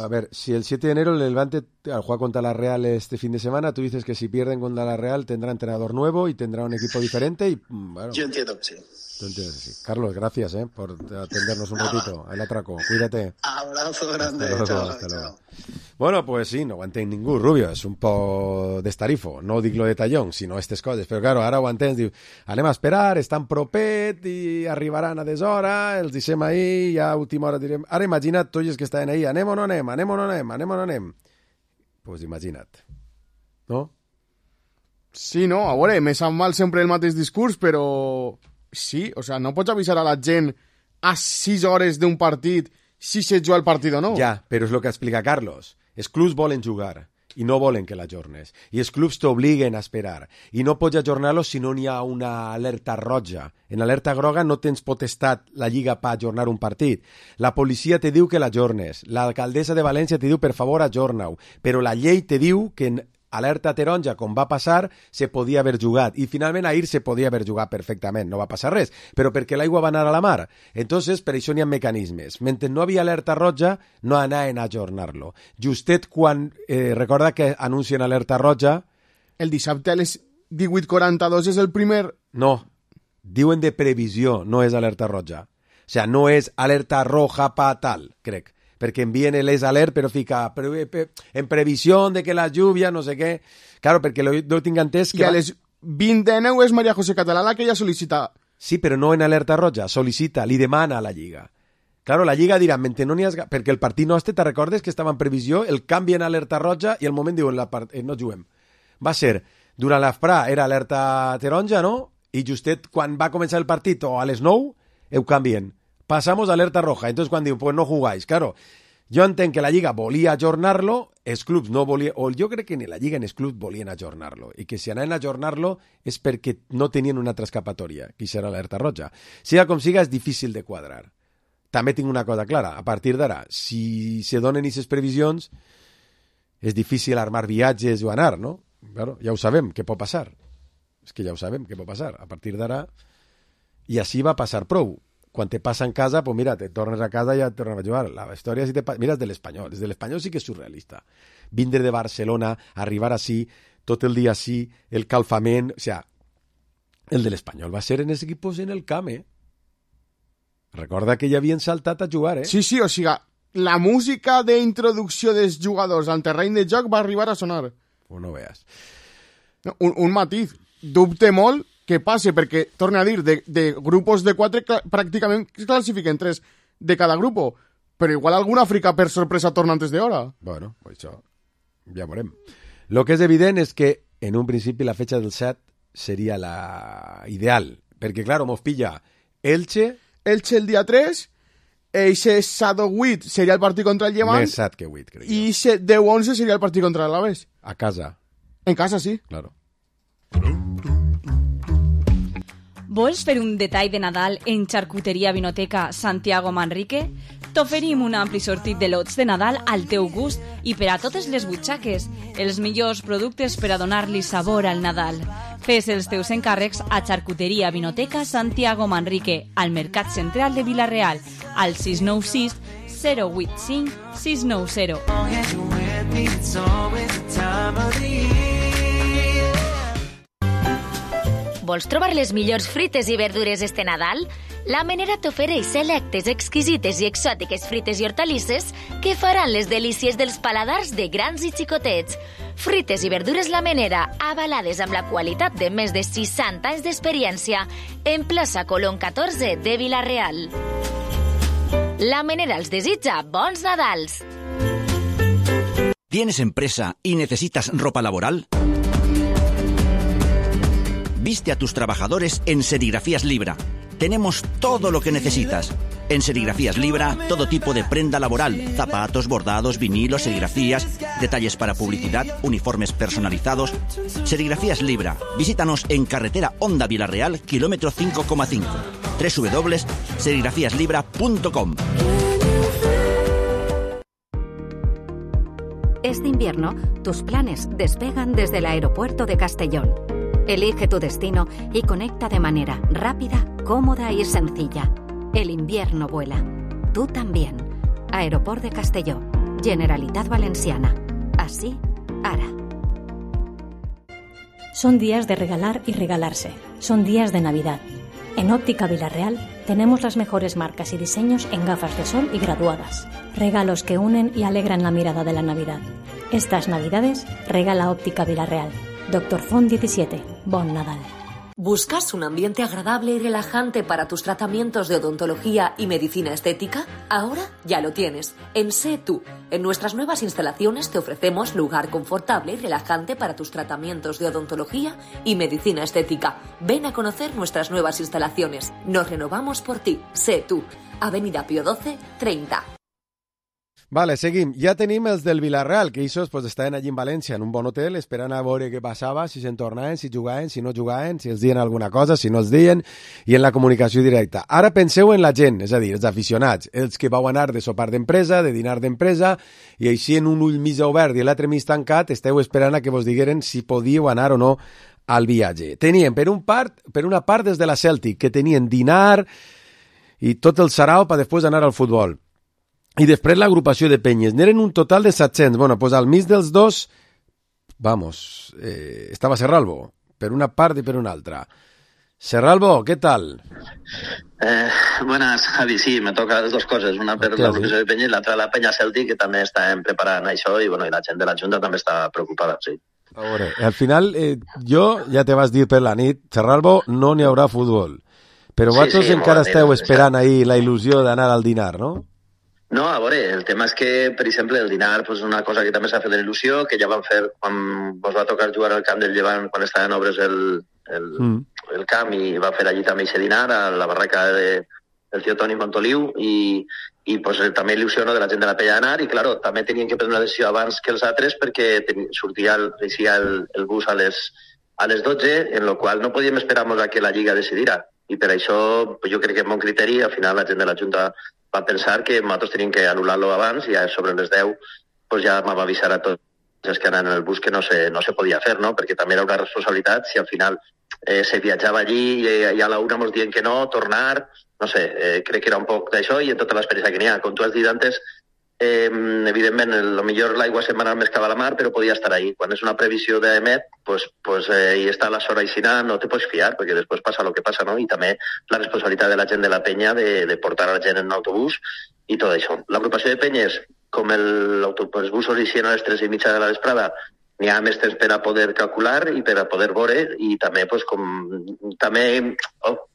A ver, si el 7 de enero el Levante juega contra la Real este fin de semana, tú dices que si pierden contra la Real tendrá entrenador nuevo y tendrá un equipo diferente y bueno. Yo entiendo que sí. Tú entiendes que sí. Carlos, gracias por atendernos un ratito. El atraco, cuídate. Abrazo grande. Hasta luego. Bueno, pues sí, no aguantéis ningú, Rubio, és un po d'estarifo, no dic lo de tallón, sinó aquestes coses, però claro, ara ho entens, diu, anem a esperar, estan propet i arribaran a deshora, els deixem ahir, ja a última hora direm, ara imagina't tots els que estaven ahir, anem o no anem, anem o no anem, anem o no anem. Pues imagina't, no? Sí, no, a veure, me sap mal sempre el mateix discurs, però sí, o sea, no pots avisar a la gent a 6 hores d'un partit si se juga el partit o no. Ja, però és el que explica Carlos. Els clubs volen jugar i no volen que l'ajornes. I els clubs t'obliguen a esperar. I no pots ajornar-los si no n'hi ha una alerta roja. En alerta groga no tens potestat la Lliga per ajornar un partit. La policia te diu que l'ajornes. L'alcaldessa de València te diu, per favor, ajorna-ho. Però la llei te diu que en alerta taronja, com va passar, se podia haver jugat. I finalment ahir se podia haver jugat perfectament. No va passar res, però perquè l'aigua va anar a la mar. Entonces, per això n'hi ha mecanismes. Mentre no havia alerta roja, no anaven a ajornar-lo. Justet quan, recorda que anuncien alerta roja... El dissabte a les 18:42 és el primer... No, diuen de previsió, no és alerta roja. O sea, no és alerta roja pa tal, crec. Perquè envien el alert, però fica en previsió de que la lluvia, no sé què. Claro, perquè no tinc entès que... I a les 20:09 és María José Català la que ja sol·licita... Sí, però no en alerta roja, sol·licita, li demana a la Lliga. Claro, la Lliga dirà, mentre no n'hi has... Perquè el partit nostre, te recordes que estava en previsió, el canvi en alerta roja i al moment diuen, no juguem. Va ser, durant l'afrà era alerta taronja, no? I justet quan va començar el partit, o a les 9, ho canvien. Pasamos a alerta roja. Entonces, cuando digo, pues no jugáis. Claro, yo entiendo que la Lliga volía ajornar-lo, els clubs no volien... O jo crec que ni la Lliga ni els clubs volien ajornar-lo. I que si anaven a ajornar-lo és perquè no tenien una altra escapatòria, que serà l'alerta roja. Siga com siga, és difícil de quadrar. També tinc una cosa clara. A partir d'ara, si se donen aquestes previsions, és difícil armar viatges o anar, no? Claro, ja ho sabem, què pot passar. És que ja ho sabem, què pot passar. A partir d'ara... I així va passar prou. Quan te passa en casa, pues mira, te tornes a casa i ja tornes a jugar. La història, si te passa... Mira, és de l'Espanyol. Des de l'Espanyol sí que és surrealista. Vindre de Barcelona, arribar així, tot el dia així, el calfament... O sea, el de l'Espanyol va ser en els equipos en el camp, Recorda que ja havien saltat a jugar, Sí, sí, o sigui, la música d'introducció dels jugadors al terreny de joc va arribar a sonar. Pues no veas. No, un matiz. Dubte molt que passe, perquè, torna a dir, de grupos de 4 pràcticament es classifiquen 3 de cada grupo, però igual alguna Àfrica per sorpresa torna antes d'hora. Bueno, pues això ja veurem. Lo que és evident és que en un principi la fecha del 7 seria la ideal, perquè, claro, mos pilla Elche el dia 3 Eixe 7-8 seria el partit contra el Llevant. Més 7 que 8, crec. I 10-11 seria el partit contra l'Alavés. A casa. En casa, sí. Claro. Vols fer un detall de Nadal en Xarcuteria Vinoteca Santiago Manrique? T'oferim un ampli sortit de lots de Nadal al teu gust i per a totes les butxaques. Els millors productes per a donar-li sabor al Nadal. Fes els teus encàrrecs a Xarcuteria Vinoteca Santiago Manrique, al Mercat Central de Vila-real, al 696 085 690. Vols trobar les millors frites i verdures este Nadal? La Menera t'ofereix selectes, exquisites i exòtiques frites i hortalisses que faran les delícies dels paladars de grans i xicotets. Frites i verdures La Menera, avalades amb la qualitat de més de 60 anys d'experiència, en plaça Colón 14 de Vila-real. La Menera els desitja bons Nadals. ¿Tienes empresa y necesitas ropa laboral? Viste a tus trabajadores en Serigrafías Libra. Tenemos todo lo que necesitas. En Serigrafías Libra, todo tipo de prenda laboral, zapatos, bordados, vinilos, serigrafías, detalles para publicidad, uniformes personalizados. Serigrafías Libra. Visítanos en carretera Honda Vila-real, kilómetro 5,5. www.serigrafiaslibra.com. Este invierno, tus planes despegan desde el aeropuerto de Castellón. Elige tu destino y conecta de manera rápida, cómoda y sencilla. El invierno vuela. Tú también. Aeroport de Castelló. Generalitat Valenciana. Así, ara. Son días de regalar y regalarse. Son días de Navidad. En Óptica Vila-real tenemos las mejores marcas y diseños en gafas de sol y graduadas. Regalos que unen y alegran la mirada de la Navidad. Estas Navidades regala Óptica Vila-real. Dr. Font 17. Bon Nadal. ¿Buscas un ambiente agradable y relajante para tus tratamientos de odontología y medicina estética? Ahora ya lo tienes. En Sé Tú. En nuestras nuevas instalaciones te ofrecemos lugar confortable y relajante para tus tratamientos de odontología y medicina estética. Ven a conocer nuestras nuevas instalaciones. Nos renovamos por ti. Sé Tú. Avenida Pío 12, 30. Vale, seguim. Ja tenim els del Vila-real, que ells pues, estaven allí en València, en un bon hotel, esperant a veure què passava, si se'n tornaven, si jugaven, si no jugaven, si els deien alguna cosa, si no els deien, i en la comunicació directa. Ara penseu en la gent, és a dir, els aficionats, els que vau anar de sopar d'empresa, de dinar d'empresa, i així en un ull mig obert i l'altre mig tancat, esteu esperant a que vos digueren si podíeu anar o no al viatge. Tenien, per una part des de la Celtic, que tenien dinar i tot el sarau per després anar al futbol. I després l'agrupació de penyes. N'eren un total de 700. Bueno, pues al mig dels dos, estava Serralbo, per una part i per una altra. Serralbo, ¿qué tal? Buenas, Javi. Sí, me toca las dos coses. Una per l'agrupació de penyes i l'altra la penya Celtic, que també estan preparant això, i bueno, i la gent de la Junta també està preocupada, sí. A veure, al final, jo ja te vas dir per la nit, Serralbo, no n'hi haurà futbol. Però vosaltres encara esteu esperant ahir la il·lusió d'anar al dinar, no? No, a veure, el tema és que, per exemple, el dinar és una cosa que també s'ha fet de il·lusió, que ja van fer quan vos va tocar jugar al camp del Llevant, quan estaven en obres el camp, i va fer allí també aquest dinar, a la barraca del tio Toni Montoliu, i pues, també il·lusió de la gent de la pella d'anar, i claro, també tenien que prendre una decisió abans que els altres, perquè sortia el bus a les 12, en el qual no podíem esperar-nos a que la Lliga decidira, i per això jo crec que amb bon criteri, al final la gent de la Junta va pensar que nosaltres teníem que anul·lar-lo abans, i ja sobre les 10 pues ja m'ha avisar a tots els que anaven en el bus que no se podia fer, no? Perquè també era una responsabilitat si al final se viatjava allí i a la una ens dient que no, tornar, no sé, crec que era un poc d'això, i en tota l'experiència que n'hi ha. Com tu has dit antes, evidentment, millor l'aigua se'n va anar més cap a la mar, però podia estar ahí. Quan és una previsió d'emet, pues hi està la sora aixina, no te pots fiar, perquè després passa el que passa, no? I també la responsabilitat de la gent de la penya de portar a la gent en autobús i tot això. L'agrupació de penyes, com els busos eixien a les 3:30 de la vesprada, n'hi ha més temps per a poder calcular i per a poder veure, i també, pues, també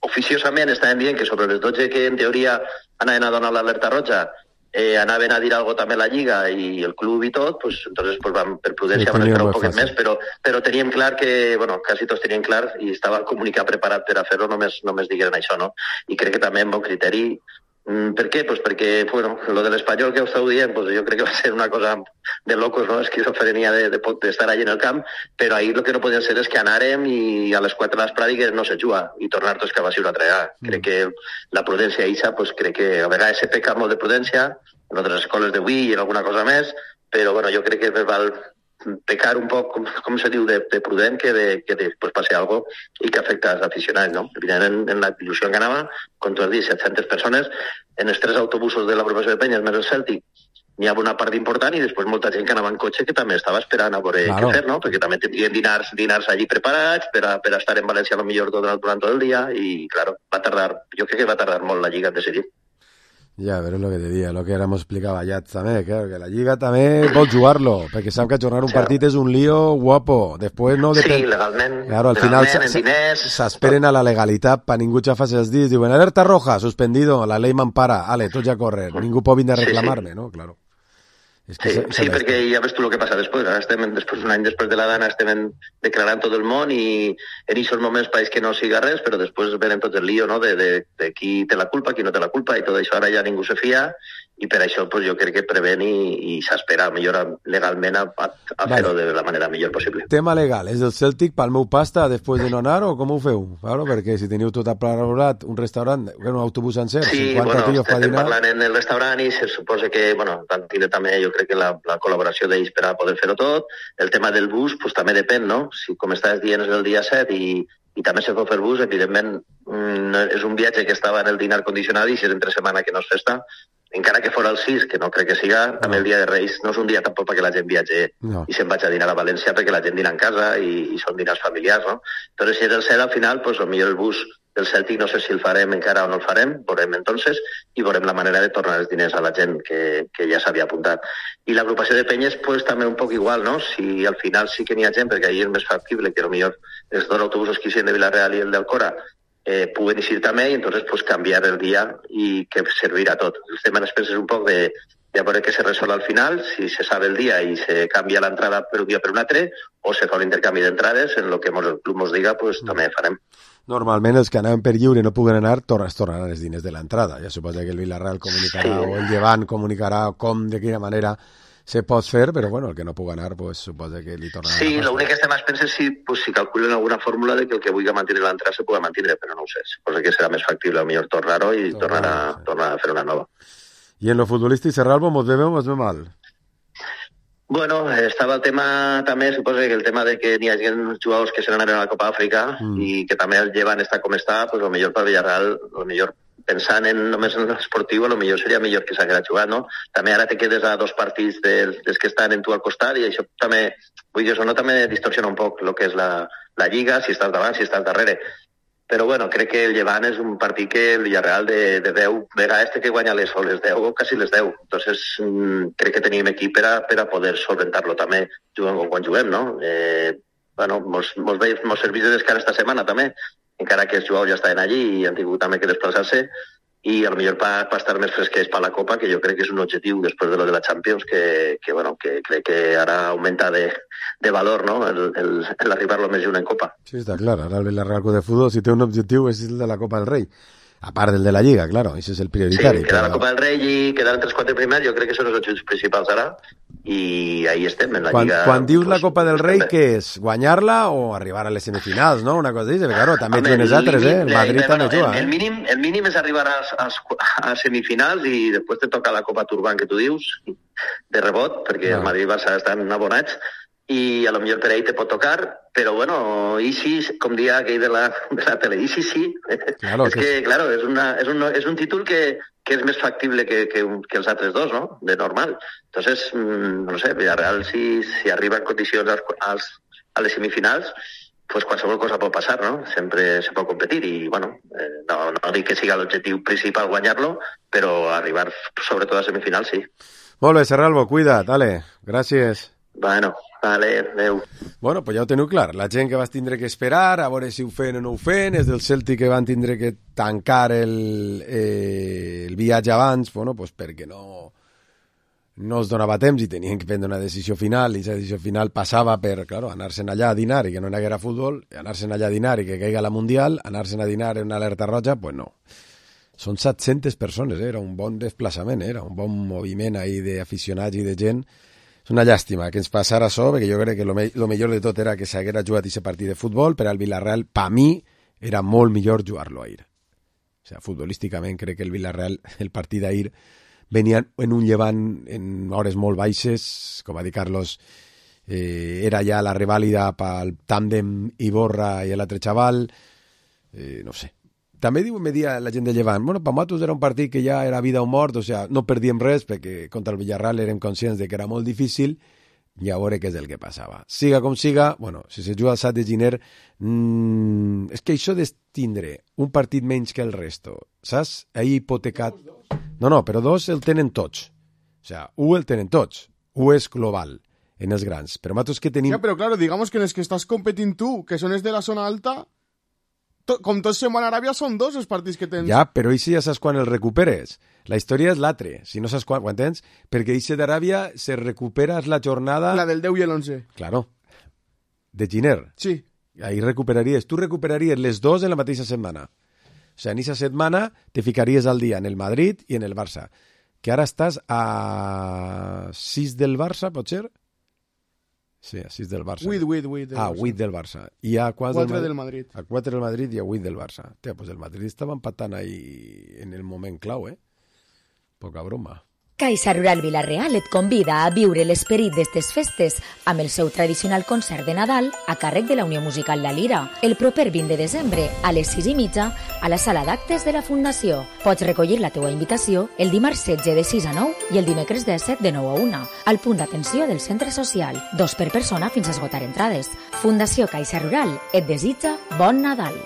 oficiosament estaven dient que sobre les 12 que en teoria anaven a donar l'alerta roja, anaven a dir alguna cosa també a la Lliga i el club i tot, pues, entonces, pues, per prudència van esperar un poquet més, però teníem clar que, bueno, quasi tots tenien clar, i estava el comunicat preparat per a fer-ho, només digueren això, no? I crec que també amb bon criteri Per què? Pues perquè, bueno, lo de l'Espanyol que ho esteu dient, pues jo crec que va ser una cosa de locos, no? Esquizofrenia d'estar allí en el camp, però ahir el que no podien ser és que anàrem i a les 4 de l'esprada digués no se juga i tornar tots cap a una altra vegada. Crec que la prudència eixa, pues crec que a vegades se peca molt de prudència, en altres escoles d'avui i en alguna cosa més, però bueno, jo crec que més val pecar un poc, com se diu, de prudent que després passi alguna cosa i que afecta als aficionats, no? Evidentment, en la il·lusió que anava, com tu has dit, 700 persones, en els 3 autobusos de l'agrupació de Penyes més el Cèltic, n'hi havia una part important i després molta gent que anava en cotxe que també estava esperant a veure què fer, no? Perquè també tindrien dinars allí preparats per a estar en València potser durant tot el dia i, claro, jo crec que va tardar molt la Lliga en decidir. Ja, però és el que te dia, el que ara m'ho explicava ja també, claro, que la Lliga també vol jugar-lo, perquè sap que ajornar un partit és un lío guapo, després no depèn... Sí, legalment, claro, al final s'esperen a la legalitat per ningú xafar-se els dits, diuen alerta roja, suspendido, la ley m'empara, ale, tots ja a córrer, ningú pot vindre a reclamar-me, no? Claro. Sí, perquè ja ves tu el que passa després. Ara estem, un any després de la dana, estem declarant tot el món i en aquests moments pareix que no siga res, però després venen tot el lío, no?, de qui té la culpa, qui no té la culpa, i tot això ara ja ningú se fia, i per això pues, jo crec que prevén i s'espera millor legalment a fer-ho de la manera millor possible. Tema legal, és del Celtic pel meu pasta després de no anar o com ho feu? Claro, perquè si teniu tot aplanat, un restaurant, un autobús sencer, sí, 50 bueno, tios fa dinar... parlant en el restaurant i se suposa que, bueno, van tindre també, jo crec que la col·laboració d'ells per a poder fer-ho tot. El tema del bus, pues també depèn, no? Si, com estàs dient, és el dia 7 i també se pot fer bus, evidentment és un viatge que estava en el dinar condicionat i si és entre setmana que no és festa, encara que fora el 6, que no crec que siga, també el dia de Reis no és un dia tampoc perquè la gent viatge i se'n vagi a dinar a València perquè la gent dina en casa i són dinars familiars, no? Però si és el 7 al final, pues potser el bus del Celtic no sé si el farem encara o no el farem, veurem entonces i veurem la manera de tornar els diners a la gent que ja s'havia apuntat. I l'agrupació de penyes pues també un poc igual, no? Si al final sí que n'hi ha gent, perquè ahir és més factible que potser els 2 autobusos que hi de Vilareal i el d'Alcora puguen eixir també i entonces pues canviar el dia i que servirà tot. El tema després és un poc de veure què se resol al final, si se sabe el dia i se canvia l'entrada per un dia per un altre o se fa l'intercanvi d'entrades, en el que el club ens diga, pues també farem. Normalment els que anaven per lliure no puguen anar, tornaran els diners de l'entrada. Ja suposa que el Villarreal comunicarà o el Llevant comunicarà com, de quina manera se pot fer, però bueno, el que no pugui anar, pues, suposa que li tornarà. Sí, l'únic que estem pensant és si calculen alguna fórmula de que el que vulgui mantenir l'entrada se pugui mantenir, però no ho sé. Suposa que serà més factible, millor tornar-ho i tornar a fer una nova. I en lo futbolístic, Serralvo, mos ve bé o mos ve mal? Bueno, estava el tema també, suposo que el tema de que n'hi ha jugadors que se n'anaven a la Copa d'Àfrica i que també el llevan està com està, pues el millor per Villarreal, el millor pensant només en l'esportiu, el millor seria millor que s'haguera jugat, no? També ara te quedes a 2 partits dels que estan en tu al costat i això també, vull dir, això no també distorsiona un poc el que és la Lliga, si estàs davant, si estàs darrere. Però bueno, crec que el Llevant és un partit que el Villarreal de 10 vegades té que guanyar les 10 o quasi les 10. Entonces crec que tenim equip per a poder solventar-lo també quan juguem, no? Bueno, mos serveix de descans esta setmana també, encara que els jugadors ja estaven allí i han tingut també que desplaçar-se i a lo millor per estar més fresquets per la Copa, que jo crec que és un objectiu després de lo de la Champions que crec que ara augmenta de valor, no?, l'arribar-lo més lluny en Copa. Sí, està clar, ara el Villarreal de Futbol, si té un objectiu és el de la Copa del Rei, a part del de la Lliga, claro, això és el prioritari. Sí, quedar a la Copa del Rei i quedar entre els 4 primers, jo crec que són els objectius principals ara, i ahí estem, en la Lliga. Quan dius la Copa del Rei, què és? Guanyar-la o arribar a les semifinals, no? Una cosa d'això, claro, també juguen els altres, el Madrid també juga. El mínim és arribar a semifinals i després te toca la Copa Turban, que tu dius, de rebot, perquè el Madrid i Barça estan abonats, i a lo millor per ahí te pot tocar, però bueno, i sí, com dia aquell de la tele, i sí. Claro, és que, claro, és un títol que és més factible que els altres dos, no?, de normal. Entonces, no sé, Villarreal, si arriba en condicions a les semifinals, pues qualsevol cosa pot passar, no? Sempre se pot competir i, bueno, no dic que siga l'objectiu principal guanyar-lo, però arribar sobretot a semifinals, sí. Molt bé, Serralvo, cuida't, dale, gràcies. Bueno, vale, adeu. Bueno, pues ja ho teniu clar. La gent que vas tindre que esperar, a veure si ho feien o no ho feien, és del Celtic que van tindre que tancar el viatge abans, bueno, pues perquè no es donava temps i tenien que prendre una decisió final, i aquesta decisió final passava per, claro, anar-se'n allà a dinar i que no hi haguera futbol, anar-se'n allà a dinar i que caiga la Mundial, anar-se'n a dinar en una alerta roja, pues no. Són 700 persones, era un bon desplaçament, era un bon moviment ahí d'aficionats i de gent. És una llàstima que ens passara això, perquè jo crec que lo millor de tot era que s'haguera jugat aquest partit de futbol, però al Villarreal, per mi, era molt millor jugar-lo ahir. O sigui, futbolísticament crec que el Villarreal, el partit d'ahir, venia en un llevant en hores molt baixes, com va dir Carlos, era ja la revàlida pel tàndem Iborra i l'altre xaval, no sé. També me dia la gent de Llevant, bueno, per nosaltres era un partit que ja era vida o mort, o sigui, no perdíem res, perquè contra el Villarreal érem conscients de que era molt difícil, i a veure què és el que passava. Siga com siga, bueno, si se juga el 7 de gener, és que això d'estindre un partit menys que el resto, saps? Ahir hipotecat... No, però 2 el tenen tots. O sigui, 1 el tenen tots. 1 és global en els grans. Però nosaltres que tenim... Ja, però claro, digamos que en els que estàs competint tu, que són els de la zona alta... Com tots se'n van a Aràbia, són 2 els partits que tens. Ja, però així ja saps quan el recuperes. La història és l'altre, si no saps quan, ho entens? Perquè així d'Aràbia se recupera la jornada... La del 10 i l'11. Claro. De Giner. Sí. Ahí recuperaries. Tu recuperaries les 2 en la mateixa setmana. O sigui, en aquesta setmana te ficaries al dia en el Madrid i en el Barça. Que ara estàs a 6 del Barça, pot ser? Sí, a 6 del Barça. 8 del Barça. I a 4 del Madrid. A 4 del Madrid i a 8 del Barça. Tia, pues el Madrid estava empatant ahí en el moment clau, Poca broma. Caixa Rural Vila-real et convida a viure l'esperit d'estes festes amb el seu tradicional concert de Nadal a càrrec de la Unió Musical La Lira, el proper 20 de desembre a les 6:30 a la sala d'actes de la Fundació. Pots recollir la teua invitació el dimarts 16 de 6 a 9 i el dimecres 17 de 9 a 1 al punt d'atenció del centre social. 2 per persona fins a esgotar entrades. Fundació Caixa Rural et desitja bon Nadal.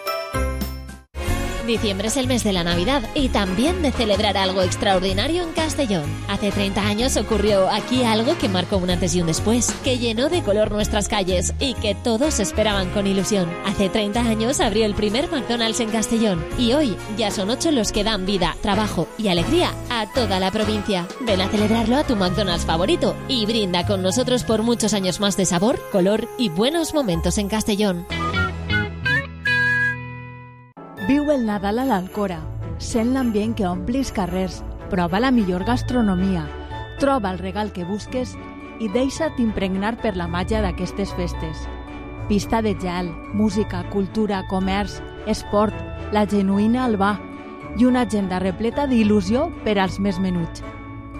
Diciembre es el mes de la Navidad y también de celebrar algo extraordinario en Castellón. Hace 30 años ocurrió aquí algo que marcó un antes y un después, que llenó de color nuestras calles y que todos esperaban con ilusión. Hace 30 años abrió el primer McDonald's en Castellón y hoy ya son 8 los que dan vida, trabajo y alegría a toda la provincia. Ven a celebrarlo a tu McDonald's favorito y brinda con nosotros por muchos años más de sabor, color y buenos momentos en Castellón. Viu el Nadal a l'Alcora, sent l'ambient que ompli els carrers, prova la millor gastronomia, troba el regal que busques i deixa't impregnar per la màgia d'aquestes festes. Pista de gel, música, cultura, comerç, esport, la genuïna Albà i una agenda repleta d'il·lusió per als més menuts.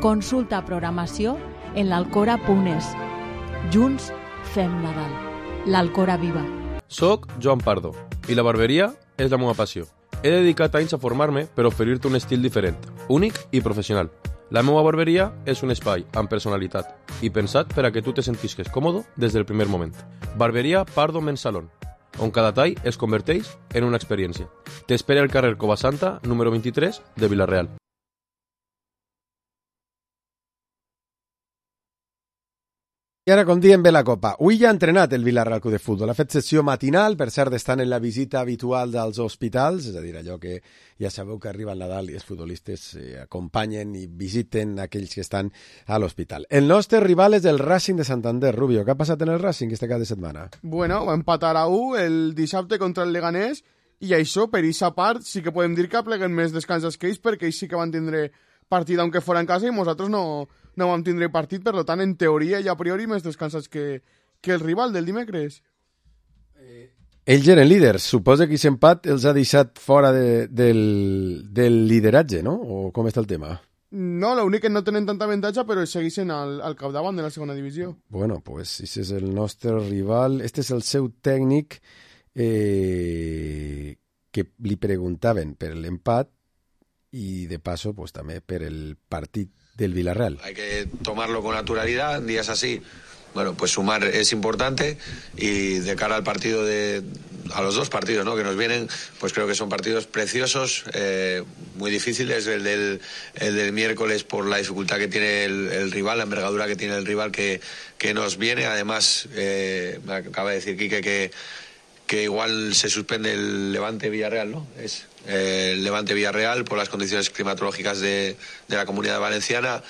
Consulta programació en l'alcora.es. Junts fem Nadal. L'Alcora viva. Soc Joan Pardo i la barberia és la meva passió. He dedicat anys a formar-me per oferir-te un estil diferent, únic i professional. La meva barberia és un espai amb personalitat i pensat per a que tu te sentisques còmode des del primer moment. Barberia Pardo Men's Salon, on cada tall es converteix en una experiència. T'espera al carrer Covasanta, número 23, de Vila-real. I ara, com diem, ve la Copa. Avui ja ha entrenat el Villarreal Club de Futbol. Ha fet sessió matinal, per cert, estan en la visita habitual dels hospitals, és a dir, allò que ja sabeu que arriba el Nadal i els futbolistes acompanyen i visiten aquells que estan a l'hospital. El nostre rival és el Racing de Santander. Rubio, què ha passat en el Racing este cap de setmana? Bueno, va empatar a 1 el dissabte contra el Leganés i això, per aquesta part, sí que podem dir que apleguen més descansos que ells, perquè ells sí que van tindre partit aunque fora en casa i nosaltres no vam tindre partit, per tant, en teoria i a priori més descansats que el rival del dimecres. Ells eren líders. Suposa que aquest empat els ha deixat fora del lideratge, no? O com està el tema? No, l'únic que no tenen tanta avantatge, però segueixen al capdavant de la segona divisió. Bueno, pues este és el nostre rival. Este és el seu tècnic que li preguntaven per l'empat y de paso pues también por el partido del Villarreal. Hay que tomarlo con naturalidad, en días así, bueno, pues sumar es importante y de cara al partido a los dos partidos, ¿no?, que nos vienen, pues creo que son partidos preciosos, muy difíciles, el del miércoles por la dificultad que tiene el rival, la envergadura que tiene el rival que nos viene, además me acaba de decir Quique que igual se suspende el Levante-Villarreal, ¿no? Es el Levante-Villarreal por las condiciones climatológicas de la Comunidad Valenciana.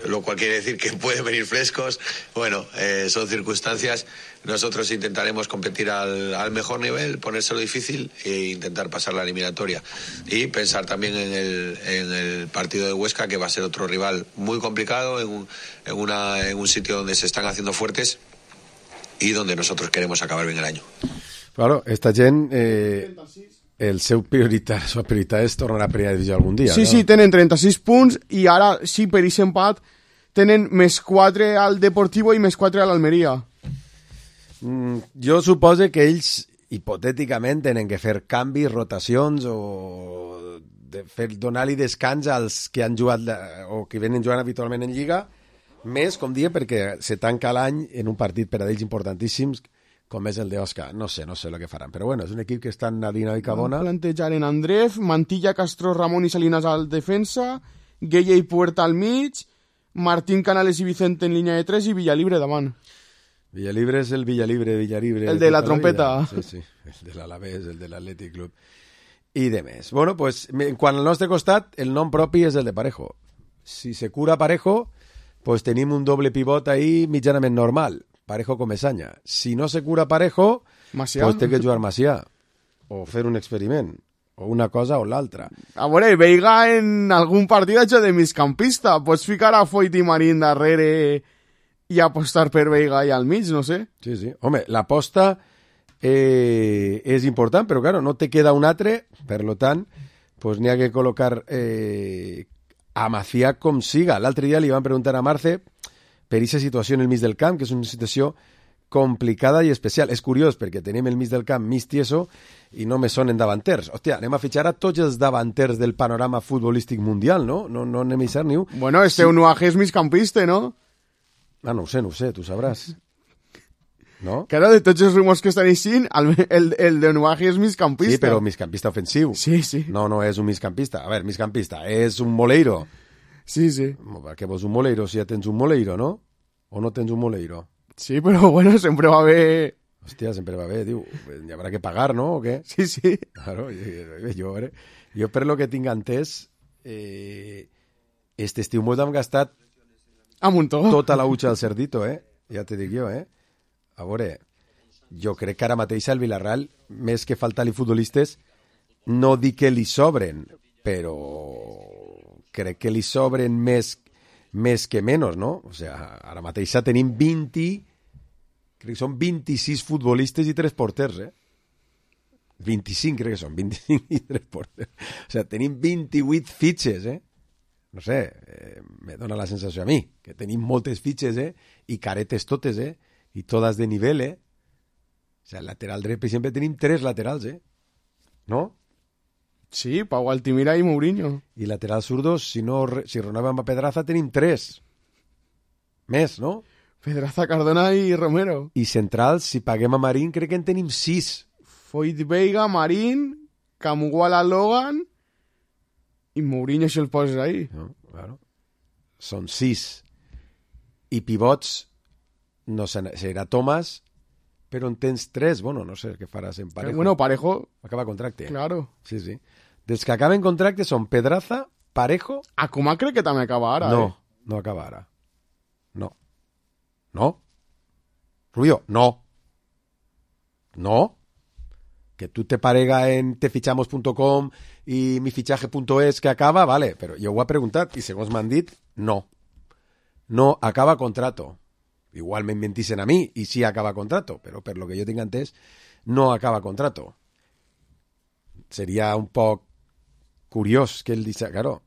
lo cual quiere decir que pueden venir frescos. Bueno, son circunstancias. Nosotros intentaremos competir al mejor nivel, ponérselo difícil e intentar pasar la eliminatoria. Y pensar también en el partido de Huesca, que va a ser otro rival muy complicado, en un sitio donde se están haciendo fuertes y donde nosotros queremos acabar bien el año. Claro, esta gent... el seu prioritat és tornar a primera divisió algun dia. Sí, no? sí, tenen 36 punts i ara, sí, per aquest empat, tenen més 4 al Deportivo i més 4 a l'Almeria. Jo suposo que ells, hipotèticament, tenen que fer canvis, rotacions o donar-li descans als que han jugat o que venen jugant habitualment en Lliga, més, com dia, perquè se tanca l'any en un partit per a ells importantíssims com és el d'Osca. No sé el que faran. Però bueno, és un equip que està en una dinàmica bona. Plantejaren Andrés, Mantilla, Castro, Ramon i Salinas al defensa, Gueye i Puerta al mig, Martín, Canales i Vicente en línia de 3 i Villalibre davant. Villalibre és el Villalibre. El de la trompeta. Sí, el de l'Alavés, el de l'Atlètic Club. I de més. Bueno, pues, quan al nostre costat, el nom propi és el de Parejo. Si se cura Parejo, pues tenim un doble pivot ahí mitjanament normal. Parejo com Mesaña. Si no se cura Parejo, Macià. Pues té que jugar Macià. O fer un experiment. O una cosa o l'altra. A veure, Veiga en algun partit ha hecho de migcampista. Pots ficar a Foyt i Marín darrere i apostar per Veiga i al mig, no sé. Sí, sí. Home, l'aposta és important, però claro, no te queda un altre, per lo tant, pues n'hi ha que col·locar a Macià com siga. L'altre dia li van preguntar a Marce per aquesta situació en el mig del camp, que és una situació complicada i especial. És curiós, perquè tenim el mig del camp mig tieso i només són en davanters. Hòstia, anem a fitxar a tots els davanters del panorama futbolístic mundial, no? No anem a deixar ni un. Bueno, Eunuaje és migcampista, no? Ah, no ho sé, tu sabràs. No? Claro, de tots els rumors que estan així, el d'Eunuaje és migcampista. Sí, però migcampista ofensiu. Sí, sí. No és un migcampista. A veure, migcampista, és un moleiro. Sí, sí. Que vols un moleiro si ja tens un moleiro, no? O no tens un moleiro? Sí, però bueno, sempre va bé. Hòstia, sempre va bé, diu. Hi haurà que pagar, no? O què? Sí, sí. Claro, jo per lo que tinc entès, este estiu mos hem gastat a muntó tota la utxa del cerdito, ja te dic jo, A veure, jo crec que ara mateix al Villarreal, més que faltar-li futbolistes, no dic que li sobren, però crec que li sobren més que menys, no? O sigui, ara mateix tenim 20, crec que són 26 futbolistes i 3 porters, 25 crec que són, 25 i 3 porters. O sigui, tenim 28 fitxes, No sé, me dona la sensació a mi, que tenim moltes fitxes, i caretes totes, i totes de nivell, O sigui, el lateral dret, per exemple, tenim 3 laterals, No? Sí, Pau Altimira i Mourinho. I lateral zurdos, si renovem a Pedraza, tenim 3. Més, no? Pedraza, Cardona i Romero. I centrals, si paguem a Marín, crec que en tenim 6. Foyt, Veiga, Marín, Camuguala, Logan i Mourinho, si el poses ahí. No, claro. Són 6. I pivots, no serà Tomàs, però en tens 3. Bueno, no sé què faràs en Parejo. Bueno, Parejo... Acaba contracte. Claro. Sí, sí. Dels que acaben contracte són Pedraza, Parejo... Koeman crec que també acaba ara, No, no acaba ara. No. No? Rubio, no. No. Que tú te parega en tefichamos.com i mifichaje.es que acaba, vale, però jo ho he preguntat i segons m'han dit, no. No acaba contrato. Igual me mentisen a mi y sí acaba contrato, pero per lo que yo tenga antes, no acaba contrato. Sería un poc curiós que él dice, claro,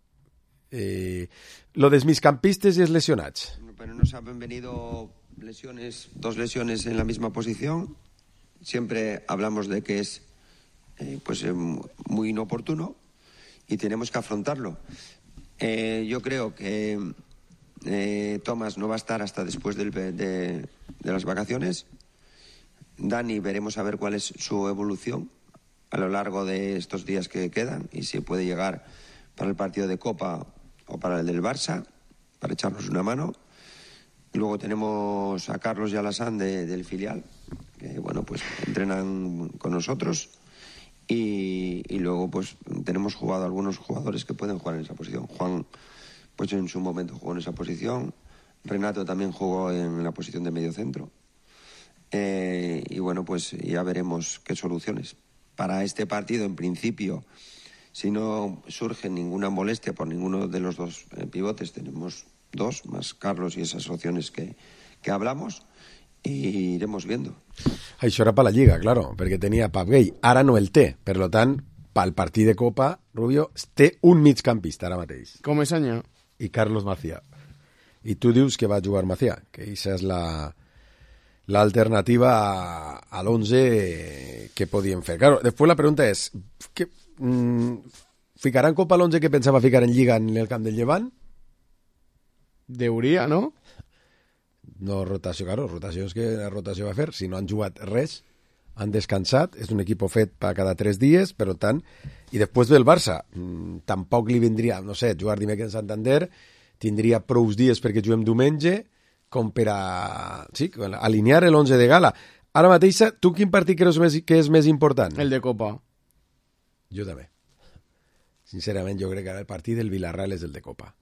lo dels migcampistes y es lesionats. Pero nos han venido lesiones, 2 lesiones en la misma posición. Siempre hablamos de que es muy inoportuno y tenemos que afrontarlo. Yo creo que Tomás no va a estar hasta después de las vacaciones. Dani, veremos a ver cuál es su evolución a lo largo de estos días que quedan y si puede llegar para el partido de Copa o para el del Barça, para echarnos una mano. Luego tenemos a Carlos y a Alassane del filial, que bueno, pues entrenan con nosotros. Y luego pues tenemos algunos jugadores que pueden jugar en esa posición. Juan pues en su momento jugó en esa posición. Renato también jugó en la posición de medio centro. Y bueno, pues ya veremos qué soluciones. Para este partido, en principio, si no surge ninguna molestia por ninguno de los dos pivotes, tenemos 2, más Carlos y esas opciones que hablamos, y iremos viendo. Això era per la Lliga, claro, perquè tenia Pep Gay. Ara no el té, per tant, pel partit de Copa, Rubio té un migcampista ara mateix. Com és any? I Carlos Macià. I tu dius que va jugar Macià, que aquesta és l'alternativa a l'11 que podíem fer. Claro, després la pregunta és, ¿ficarà en Copa l'11 que pensava ficar en Lliga en el camp del Llevant? Deuria, no? No rotació, claro, rotació és que la rotació va fer. Si no han jugat res, han descansat, és un equip fet per cada 3 dies, per tant, i després del Barça, tampoc li vindria, no sé, jugar dimecres en Santander, tindria prous dies perquè juguem diumenge, com per a alinear l'11 de gala. Ara mateix, tu quin partit creus que és més important? El de Copa. Jo també. Sincerament, jo crec que el partit del Villarreal és el de Copa.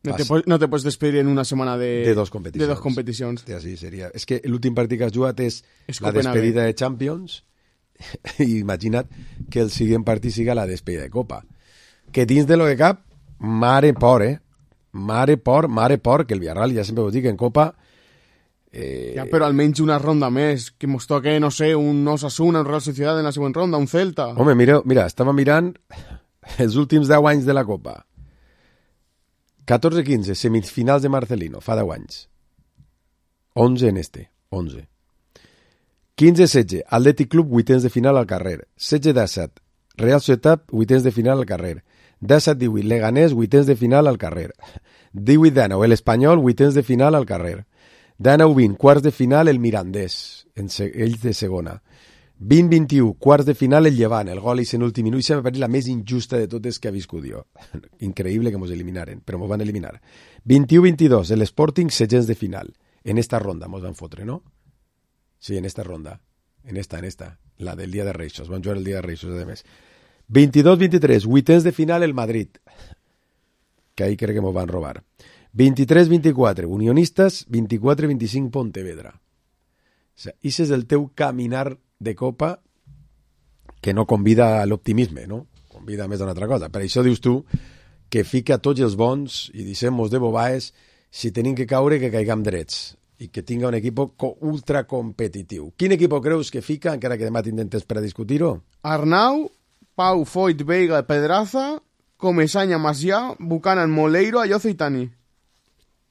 No te pots despedir en una setmana de 2 competicions. De 2 competicions. Sí, seria. És que l'últim partit que has jugat és la despedida de Champions, i imagina't que el següent partit siga la despedida de Copa. Que dins de lo que cap, mare por, Mare por, que el Villarreal, ja sempre ho dic, en Copa... Ja, però almenys una ronda més, que mos toque, no sé, un Osasuna, un Real Sociedad en la següent ronda, un Celta... Home, mira, estava mirant els últims 10 anys de la Copa. 14-15, semifinals de Marcelino, fa 10 anys. 11 en 11. 15-16, Atlètic Club, vuitens de final al carrer. 16-17, Real Societat, vuitens de final al carrer. 17-18, Leganés, vuitens de final al carrer. 18-19, el Espanyol, vuitens de final al carrer. 19-20, quarts de final el Mirandés, ells de segona. 20-21, quarts de final el Llevant, el gol és en últim minut, i se m'ha parit la més injusta de totes que ha viscut jo. Increïble que mos eliminaren, però mos van eliminar. 21-22, el Sporting, setents de final. En esta ronda mos van fotre, no? Sí, en esta ronda. En esta. La del Dia de Reixos. Van jugar el Dia de Reixos, a més. 22-23, vuitens de final el Madrid. Que ahí crec que mos van robar. 23-24, Unionistes. 24-25, Pontevedra. O sea, ese és el teu caminar de Copa que no convida a l'optimisme, no? Convida més a una altra cosa. Per això dius tu que fica tots els bons i dissem-nos de bobaes, si tenim que caure, que caigam drets i que tinga un equip ultra competitiu. Quin equip creus que fica, encara que demà t'intentes per a discutir-ho? Arnau, Pau, Foyt, Veiga, Pedraza, Comesaña, Macià, Buchanan, Moleiro, Ayoce i Tani.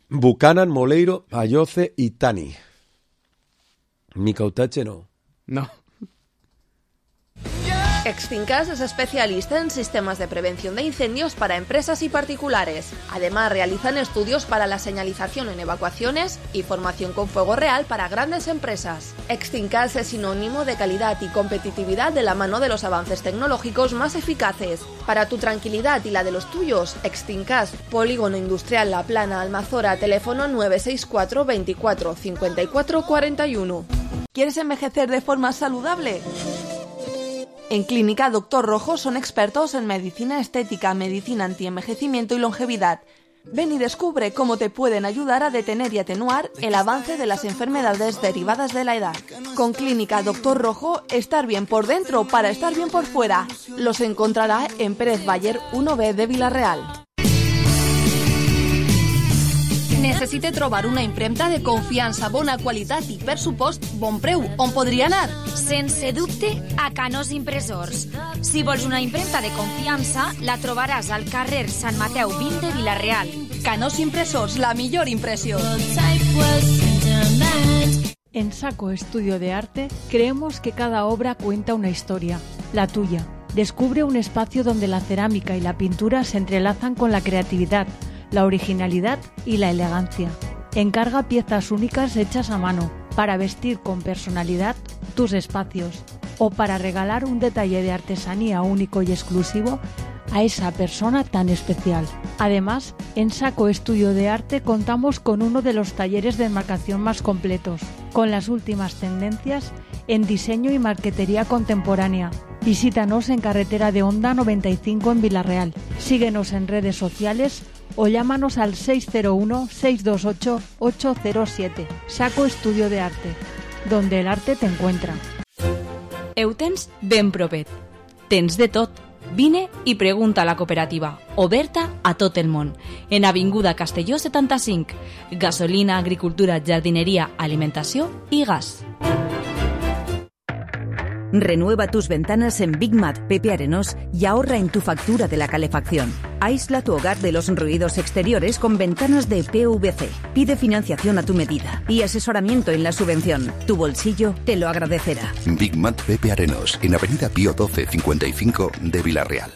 Buchanan, Moleiro, Ayoce i Tani. Micautache no. No. Extincas es especialista en sistemas de prevención de incendios para empresas y particulares. Además, realizan estudios para la señalización en evacuaciones y formación con fuego real para grandes empresas. Extincas es sinónimo de calidad y competitividad de la mano de los avances tecnológicos más eficaces. Para tu tranquilidad y la de los tuyos, Extincas, Polígono Industrial La Plana, Almazora, teléfono 964 24 54 41. ¿Quieres envejecer de forma saludable? En Clínica Dr. Rojo son expertos en medicina estética, medicina antienvejecimiento y longevidad. Ven y descubre cómo te pueden ayudar a detener y atenuar el avance de las enfermedades derivadas de la edad. Con Clínica Dr. Rojo, estar bien por dentro para estar bien por fuera. Los encontrará en Pérez Bayer 1B de Vila-real. Necessite trobar una impremta de confiança, bona qualitat i, per supost, bon preu. On podria anar? Sense dubte, a Canós Impressors. Si vols una impremta de confiança, la trobaràs al carrer Sant Mateu 20 de Vila-real. Canós Impressors, la millor impressió. En Saco Estudio de Arte creemos que cada obra cuenta una historia, la tuya. Descubre un espacio donde la cerámica y la pintura se entrelazan con la creatividad, la originalidad y la elegancia. Encarga piezas únicas hechas a mano para vestir con personalidad tus espacios o para regalar un detalle de artesanía único y exclusivo a esa persona tan especial. Además, en Saco Estudio de Arte contamos con uno de los talleres de enmarcación más completos, con las últimas tendencias en diseño y marquetería contemporánea, Visítanos en carretera de Honda 95 en Villarreal. Síguenos en redes sociales o llámanos al 601-628-807. Saco Estudio de Arte, donde el arte te encuentra. Ho tens ben propet. Tens de tot. Vine i pregunta a la cooperativa, oberta a tot el món. En Avinguda Castelló 75. Gasolina, agricultura, jardineria, alimentació i gas. Renueva tus ventanas en Big Mat Pepe Arenós y ahorra en tu factura de la calefacción. Aísla tu hogar de los ruidos exteriores con ventanas de PVC. Pide financiación a tu medida y asesoramiento en la subvención. Tu bolsillo te lo agradecerá. Big Mat Pepe Arenós, en Avenida Pío 12, 55 de Villarreal.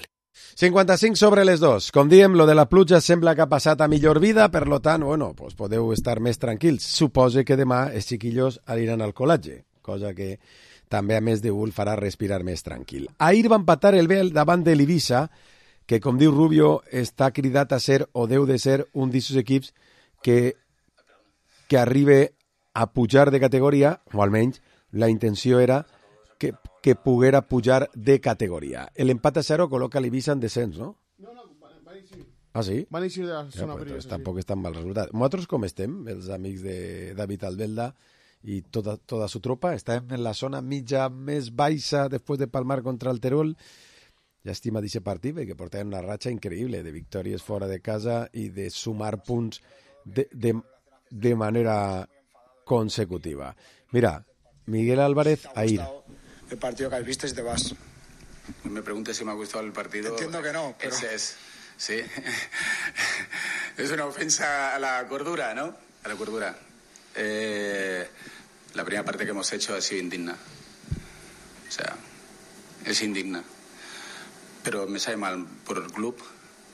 55 sobre les 2. Com diem, lo de la pluja sembla que ha passat a millor vida, per lo tant, bueno, pues podeu estar més tranquils. Suposo que demà els xiquillos aniran al col·legi, cosa que també, a més de el farà respirar més tranquil. Ahir va empatar el Bel davant de l'Ibiza, que, com diu Rubio, està cridat a ser, o deu de ser, un d'aquests equips que arribe a pujar de categoria, o almenys la intenció era que poguera pujar de categoria. L'empat a 0 col·loca l'Ibiza en descens, no? No, van eixir. Ah, sí? Van eixir de la zona perillosa. Tampoc és tan mal resultat. Nosaltres com estem, els amics de David Albelda, y toda su tropa, está en la zona mitja més baixa después de palmar contra el Terol. Llàstima d'aquest partit, que portaven una ratxa increïble de victòries fora de casa i de sumar punts de manera consecutiva. Mira, Miguel Álvarez, ahí. El partido que has visto y te vas. No me preguntes si me ha gustado el partido. Entiendo que no, pero... Sí. Es una ofensa a la cordura, ¿no? A la cordura. La primera parte que hemos hecho ha sido indigna. O sea, es indigna. Pero me sabe mal por el club,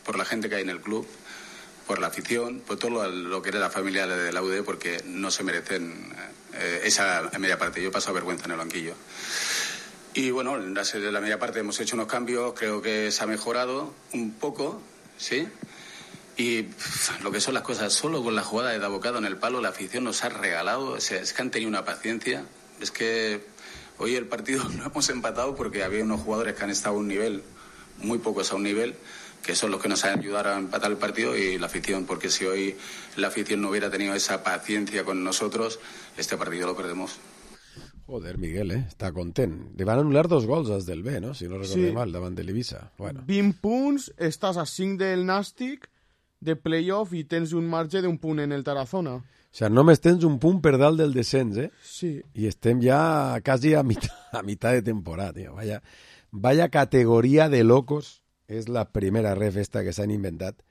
por la gente que hay en el club, por la afición, por todo lo que era la familia de la UD, porque no se merecen esa media parte. Yo he pasado vergüenza en el banquillo. Y bueno, en la media parte hemos hecho unos cambios, creo que se ha mejorado un poco, ¿sí? Y lo que son las cosas, solo con la jugada de Dabocado en el palo, la afición nos ha regalado, o sea, es que han tenido una paciencia. Es que hoy el partido no hemos empatado porque había unos jugadores que han estado a un nivel, muy pocos a un nivel, que son los que nos han ayudado a empatar el partido, y la afición, porque si hoy la afición no hubiera tenido esa paciencia con nosotros, este partido lo perdemos. Joder, Miguel, està content. Li van anul·lar 2 gols als del B, no? Si no recordem mal, davant de l'Ibiza. Bueno. 20 punts, estàs a 5 del Nàstic, de playoff, i tens un marge d'un punt en el Tarazona. O sea, només tens un punt per dalt del descens, eh? Sí. I estem ja quasi a mitad de temporada, tío. Vaya categoria de locos. És la primera ref esta que s'han inventat,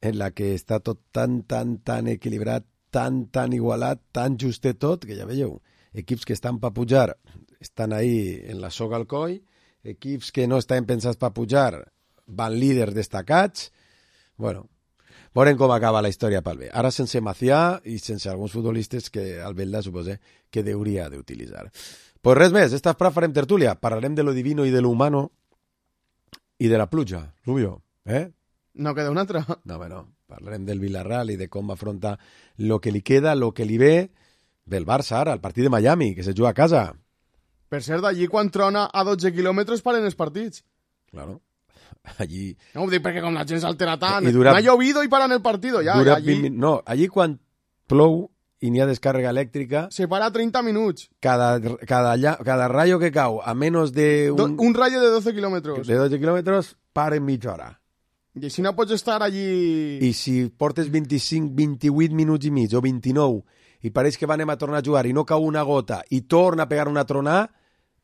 en la que està tot tan equilibrat, tan igualat, tan justet tot, que ja veieu, equips que estan per pujar estan ahí en la soga al coll, equips que no estan pensats per pujar van líders destacats. Bueno, veurem com acaba la història pel bé. Ara sense Macià i sense alguns futbolistes que el Belda suposa que hauria d'utilitzar. Pues res més, esta frase farem tertúlia. Parlarem de lo divino i de lo humano i de la pluja, Rubio, eh? No queda una altra. No, bueno, parlarem del Villarreal i de com afronta lo que li queda, lo que li ve del Barça ara, el partit de Miami, que se juga a casa. Per cert, allí quan trona a 12 quilòmetres paren els partits. Claro. Allí... No ho dic perquè com la gent s'altera tant. Dura... M'ha llovido i paran el partido. Ja, dura allí... 20 No, allí quan plou i n'hi ha descàrrega elèctrica... Se para 30 minuts. Cada rayo que cau a menos de... Un rayo de 12 quilòmetres. De 12 quilòmetres, paren mitja hora. I així no pots estar allí... I si portes 25, 28 minuts i mig o 29 i pareix que anem a tornar a jugar i no cau una gota i torna a pegar una tronada,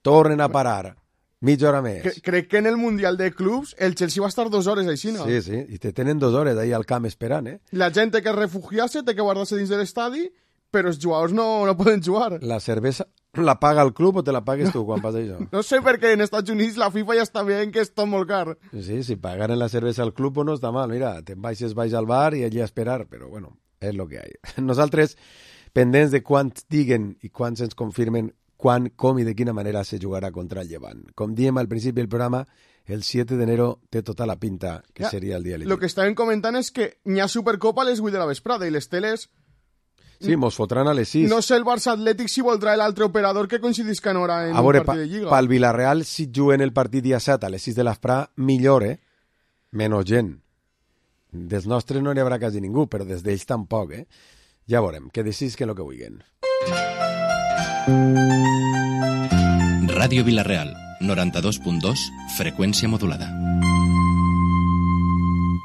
tornen a parar. Mitja hora més. Crec que en el Mundial de Clubs el Chelsea va estar 2 hores així, no? Sí, i te tenen 2 hores ahí al camp esperant, eh? La gent té que refugiar-se, té que guardar-se dins de l'estadi, però els jugadors no poden jugar. La cervesa la paga el club o te la pagues tu quan passa això? No sé perquè en Estats Units la FIFA ja està veient que és tot molt car. Sí, si pagaren la cervesa al club no està mal. Mira, te'n vais al bar i allí a esperar, però bueno, és lo que hay. Nosaltres, pendents de quants diguen i quants ens confirmen quan, com i de quina manera se jugarà contra el Llevant. Com diem al principi del programa, el 7 d'enero té tota la pinta que seria el dia de Lo que estàvem comentant és que n'hi ha Supercopa a les 8 de la vesprada i les teles... Sí, mos fotran a les 6. No sé el Barça Atlètic si voldrà l'altre operador que coincidisca en hora en a veure, un partit de Lliga. Pel Villarreal, si juguen el partit dia 7 a les 6 de l'Asprà, millor, menys gent. Dels nostres no n'hi haurà quasi ningú, però des d'ells tampoc, Ja veurem, que decidisquen el que vulguin. Ràdio Vilareal, 92.2, freqüència modulada.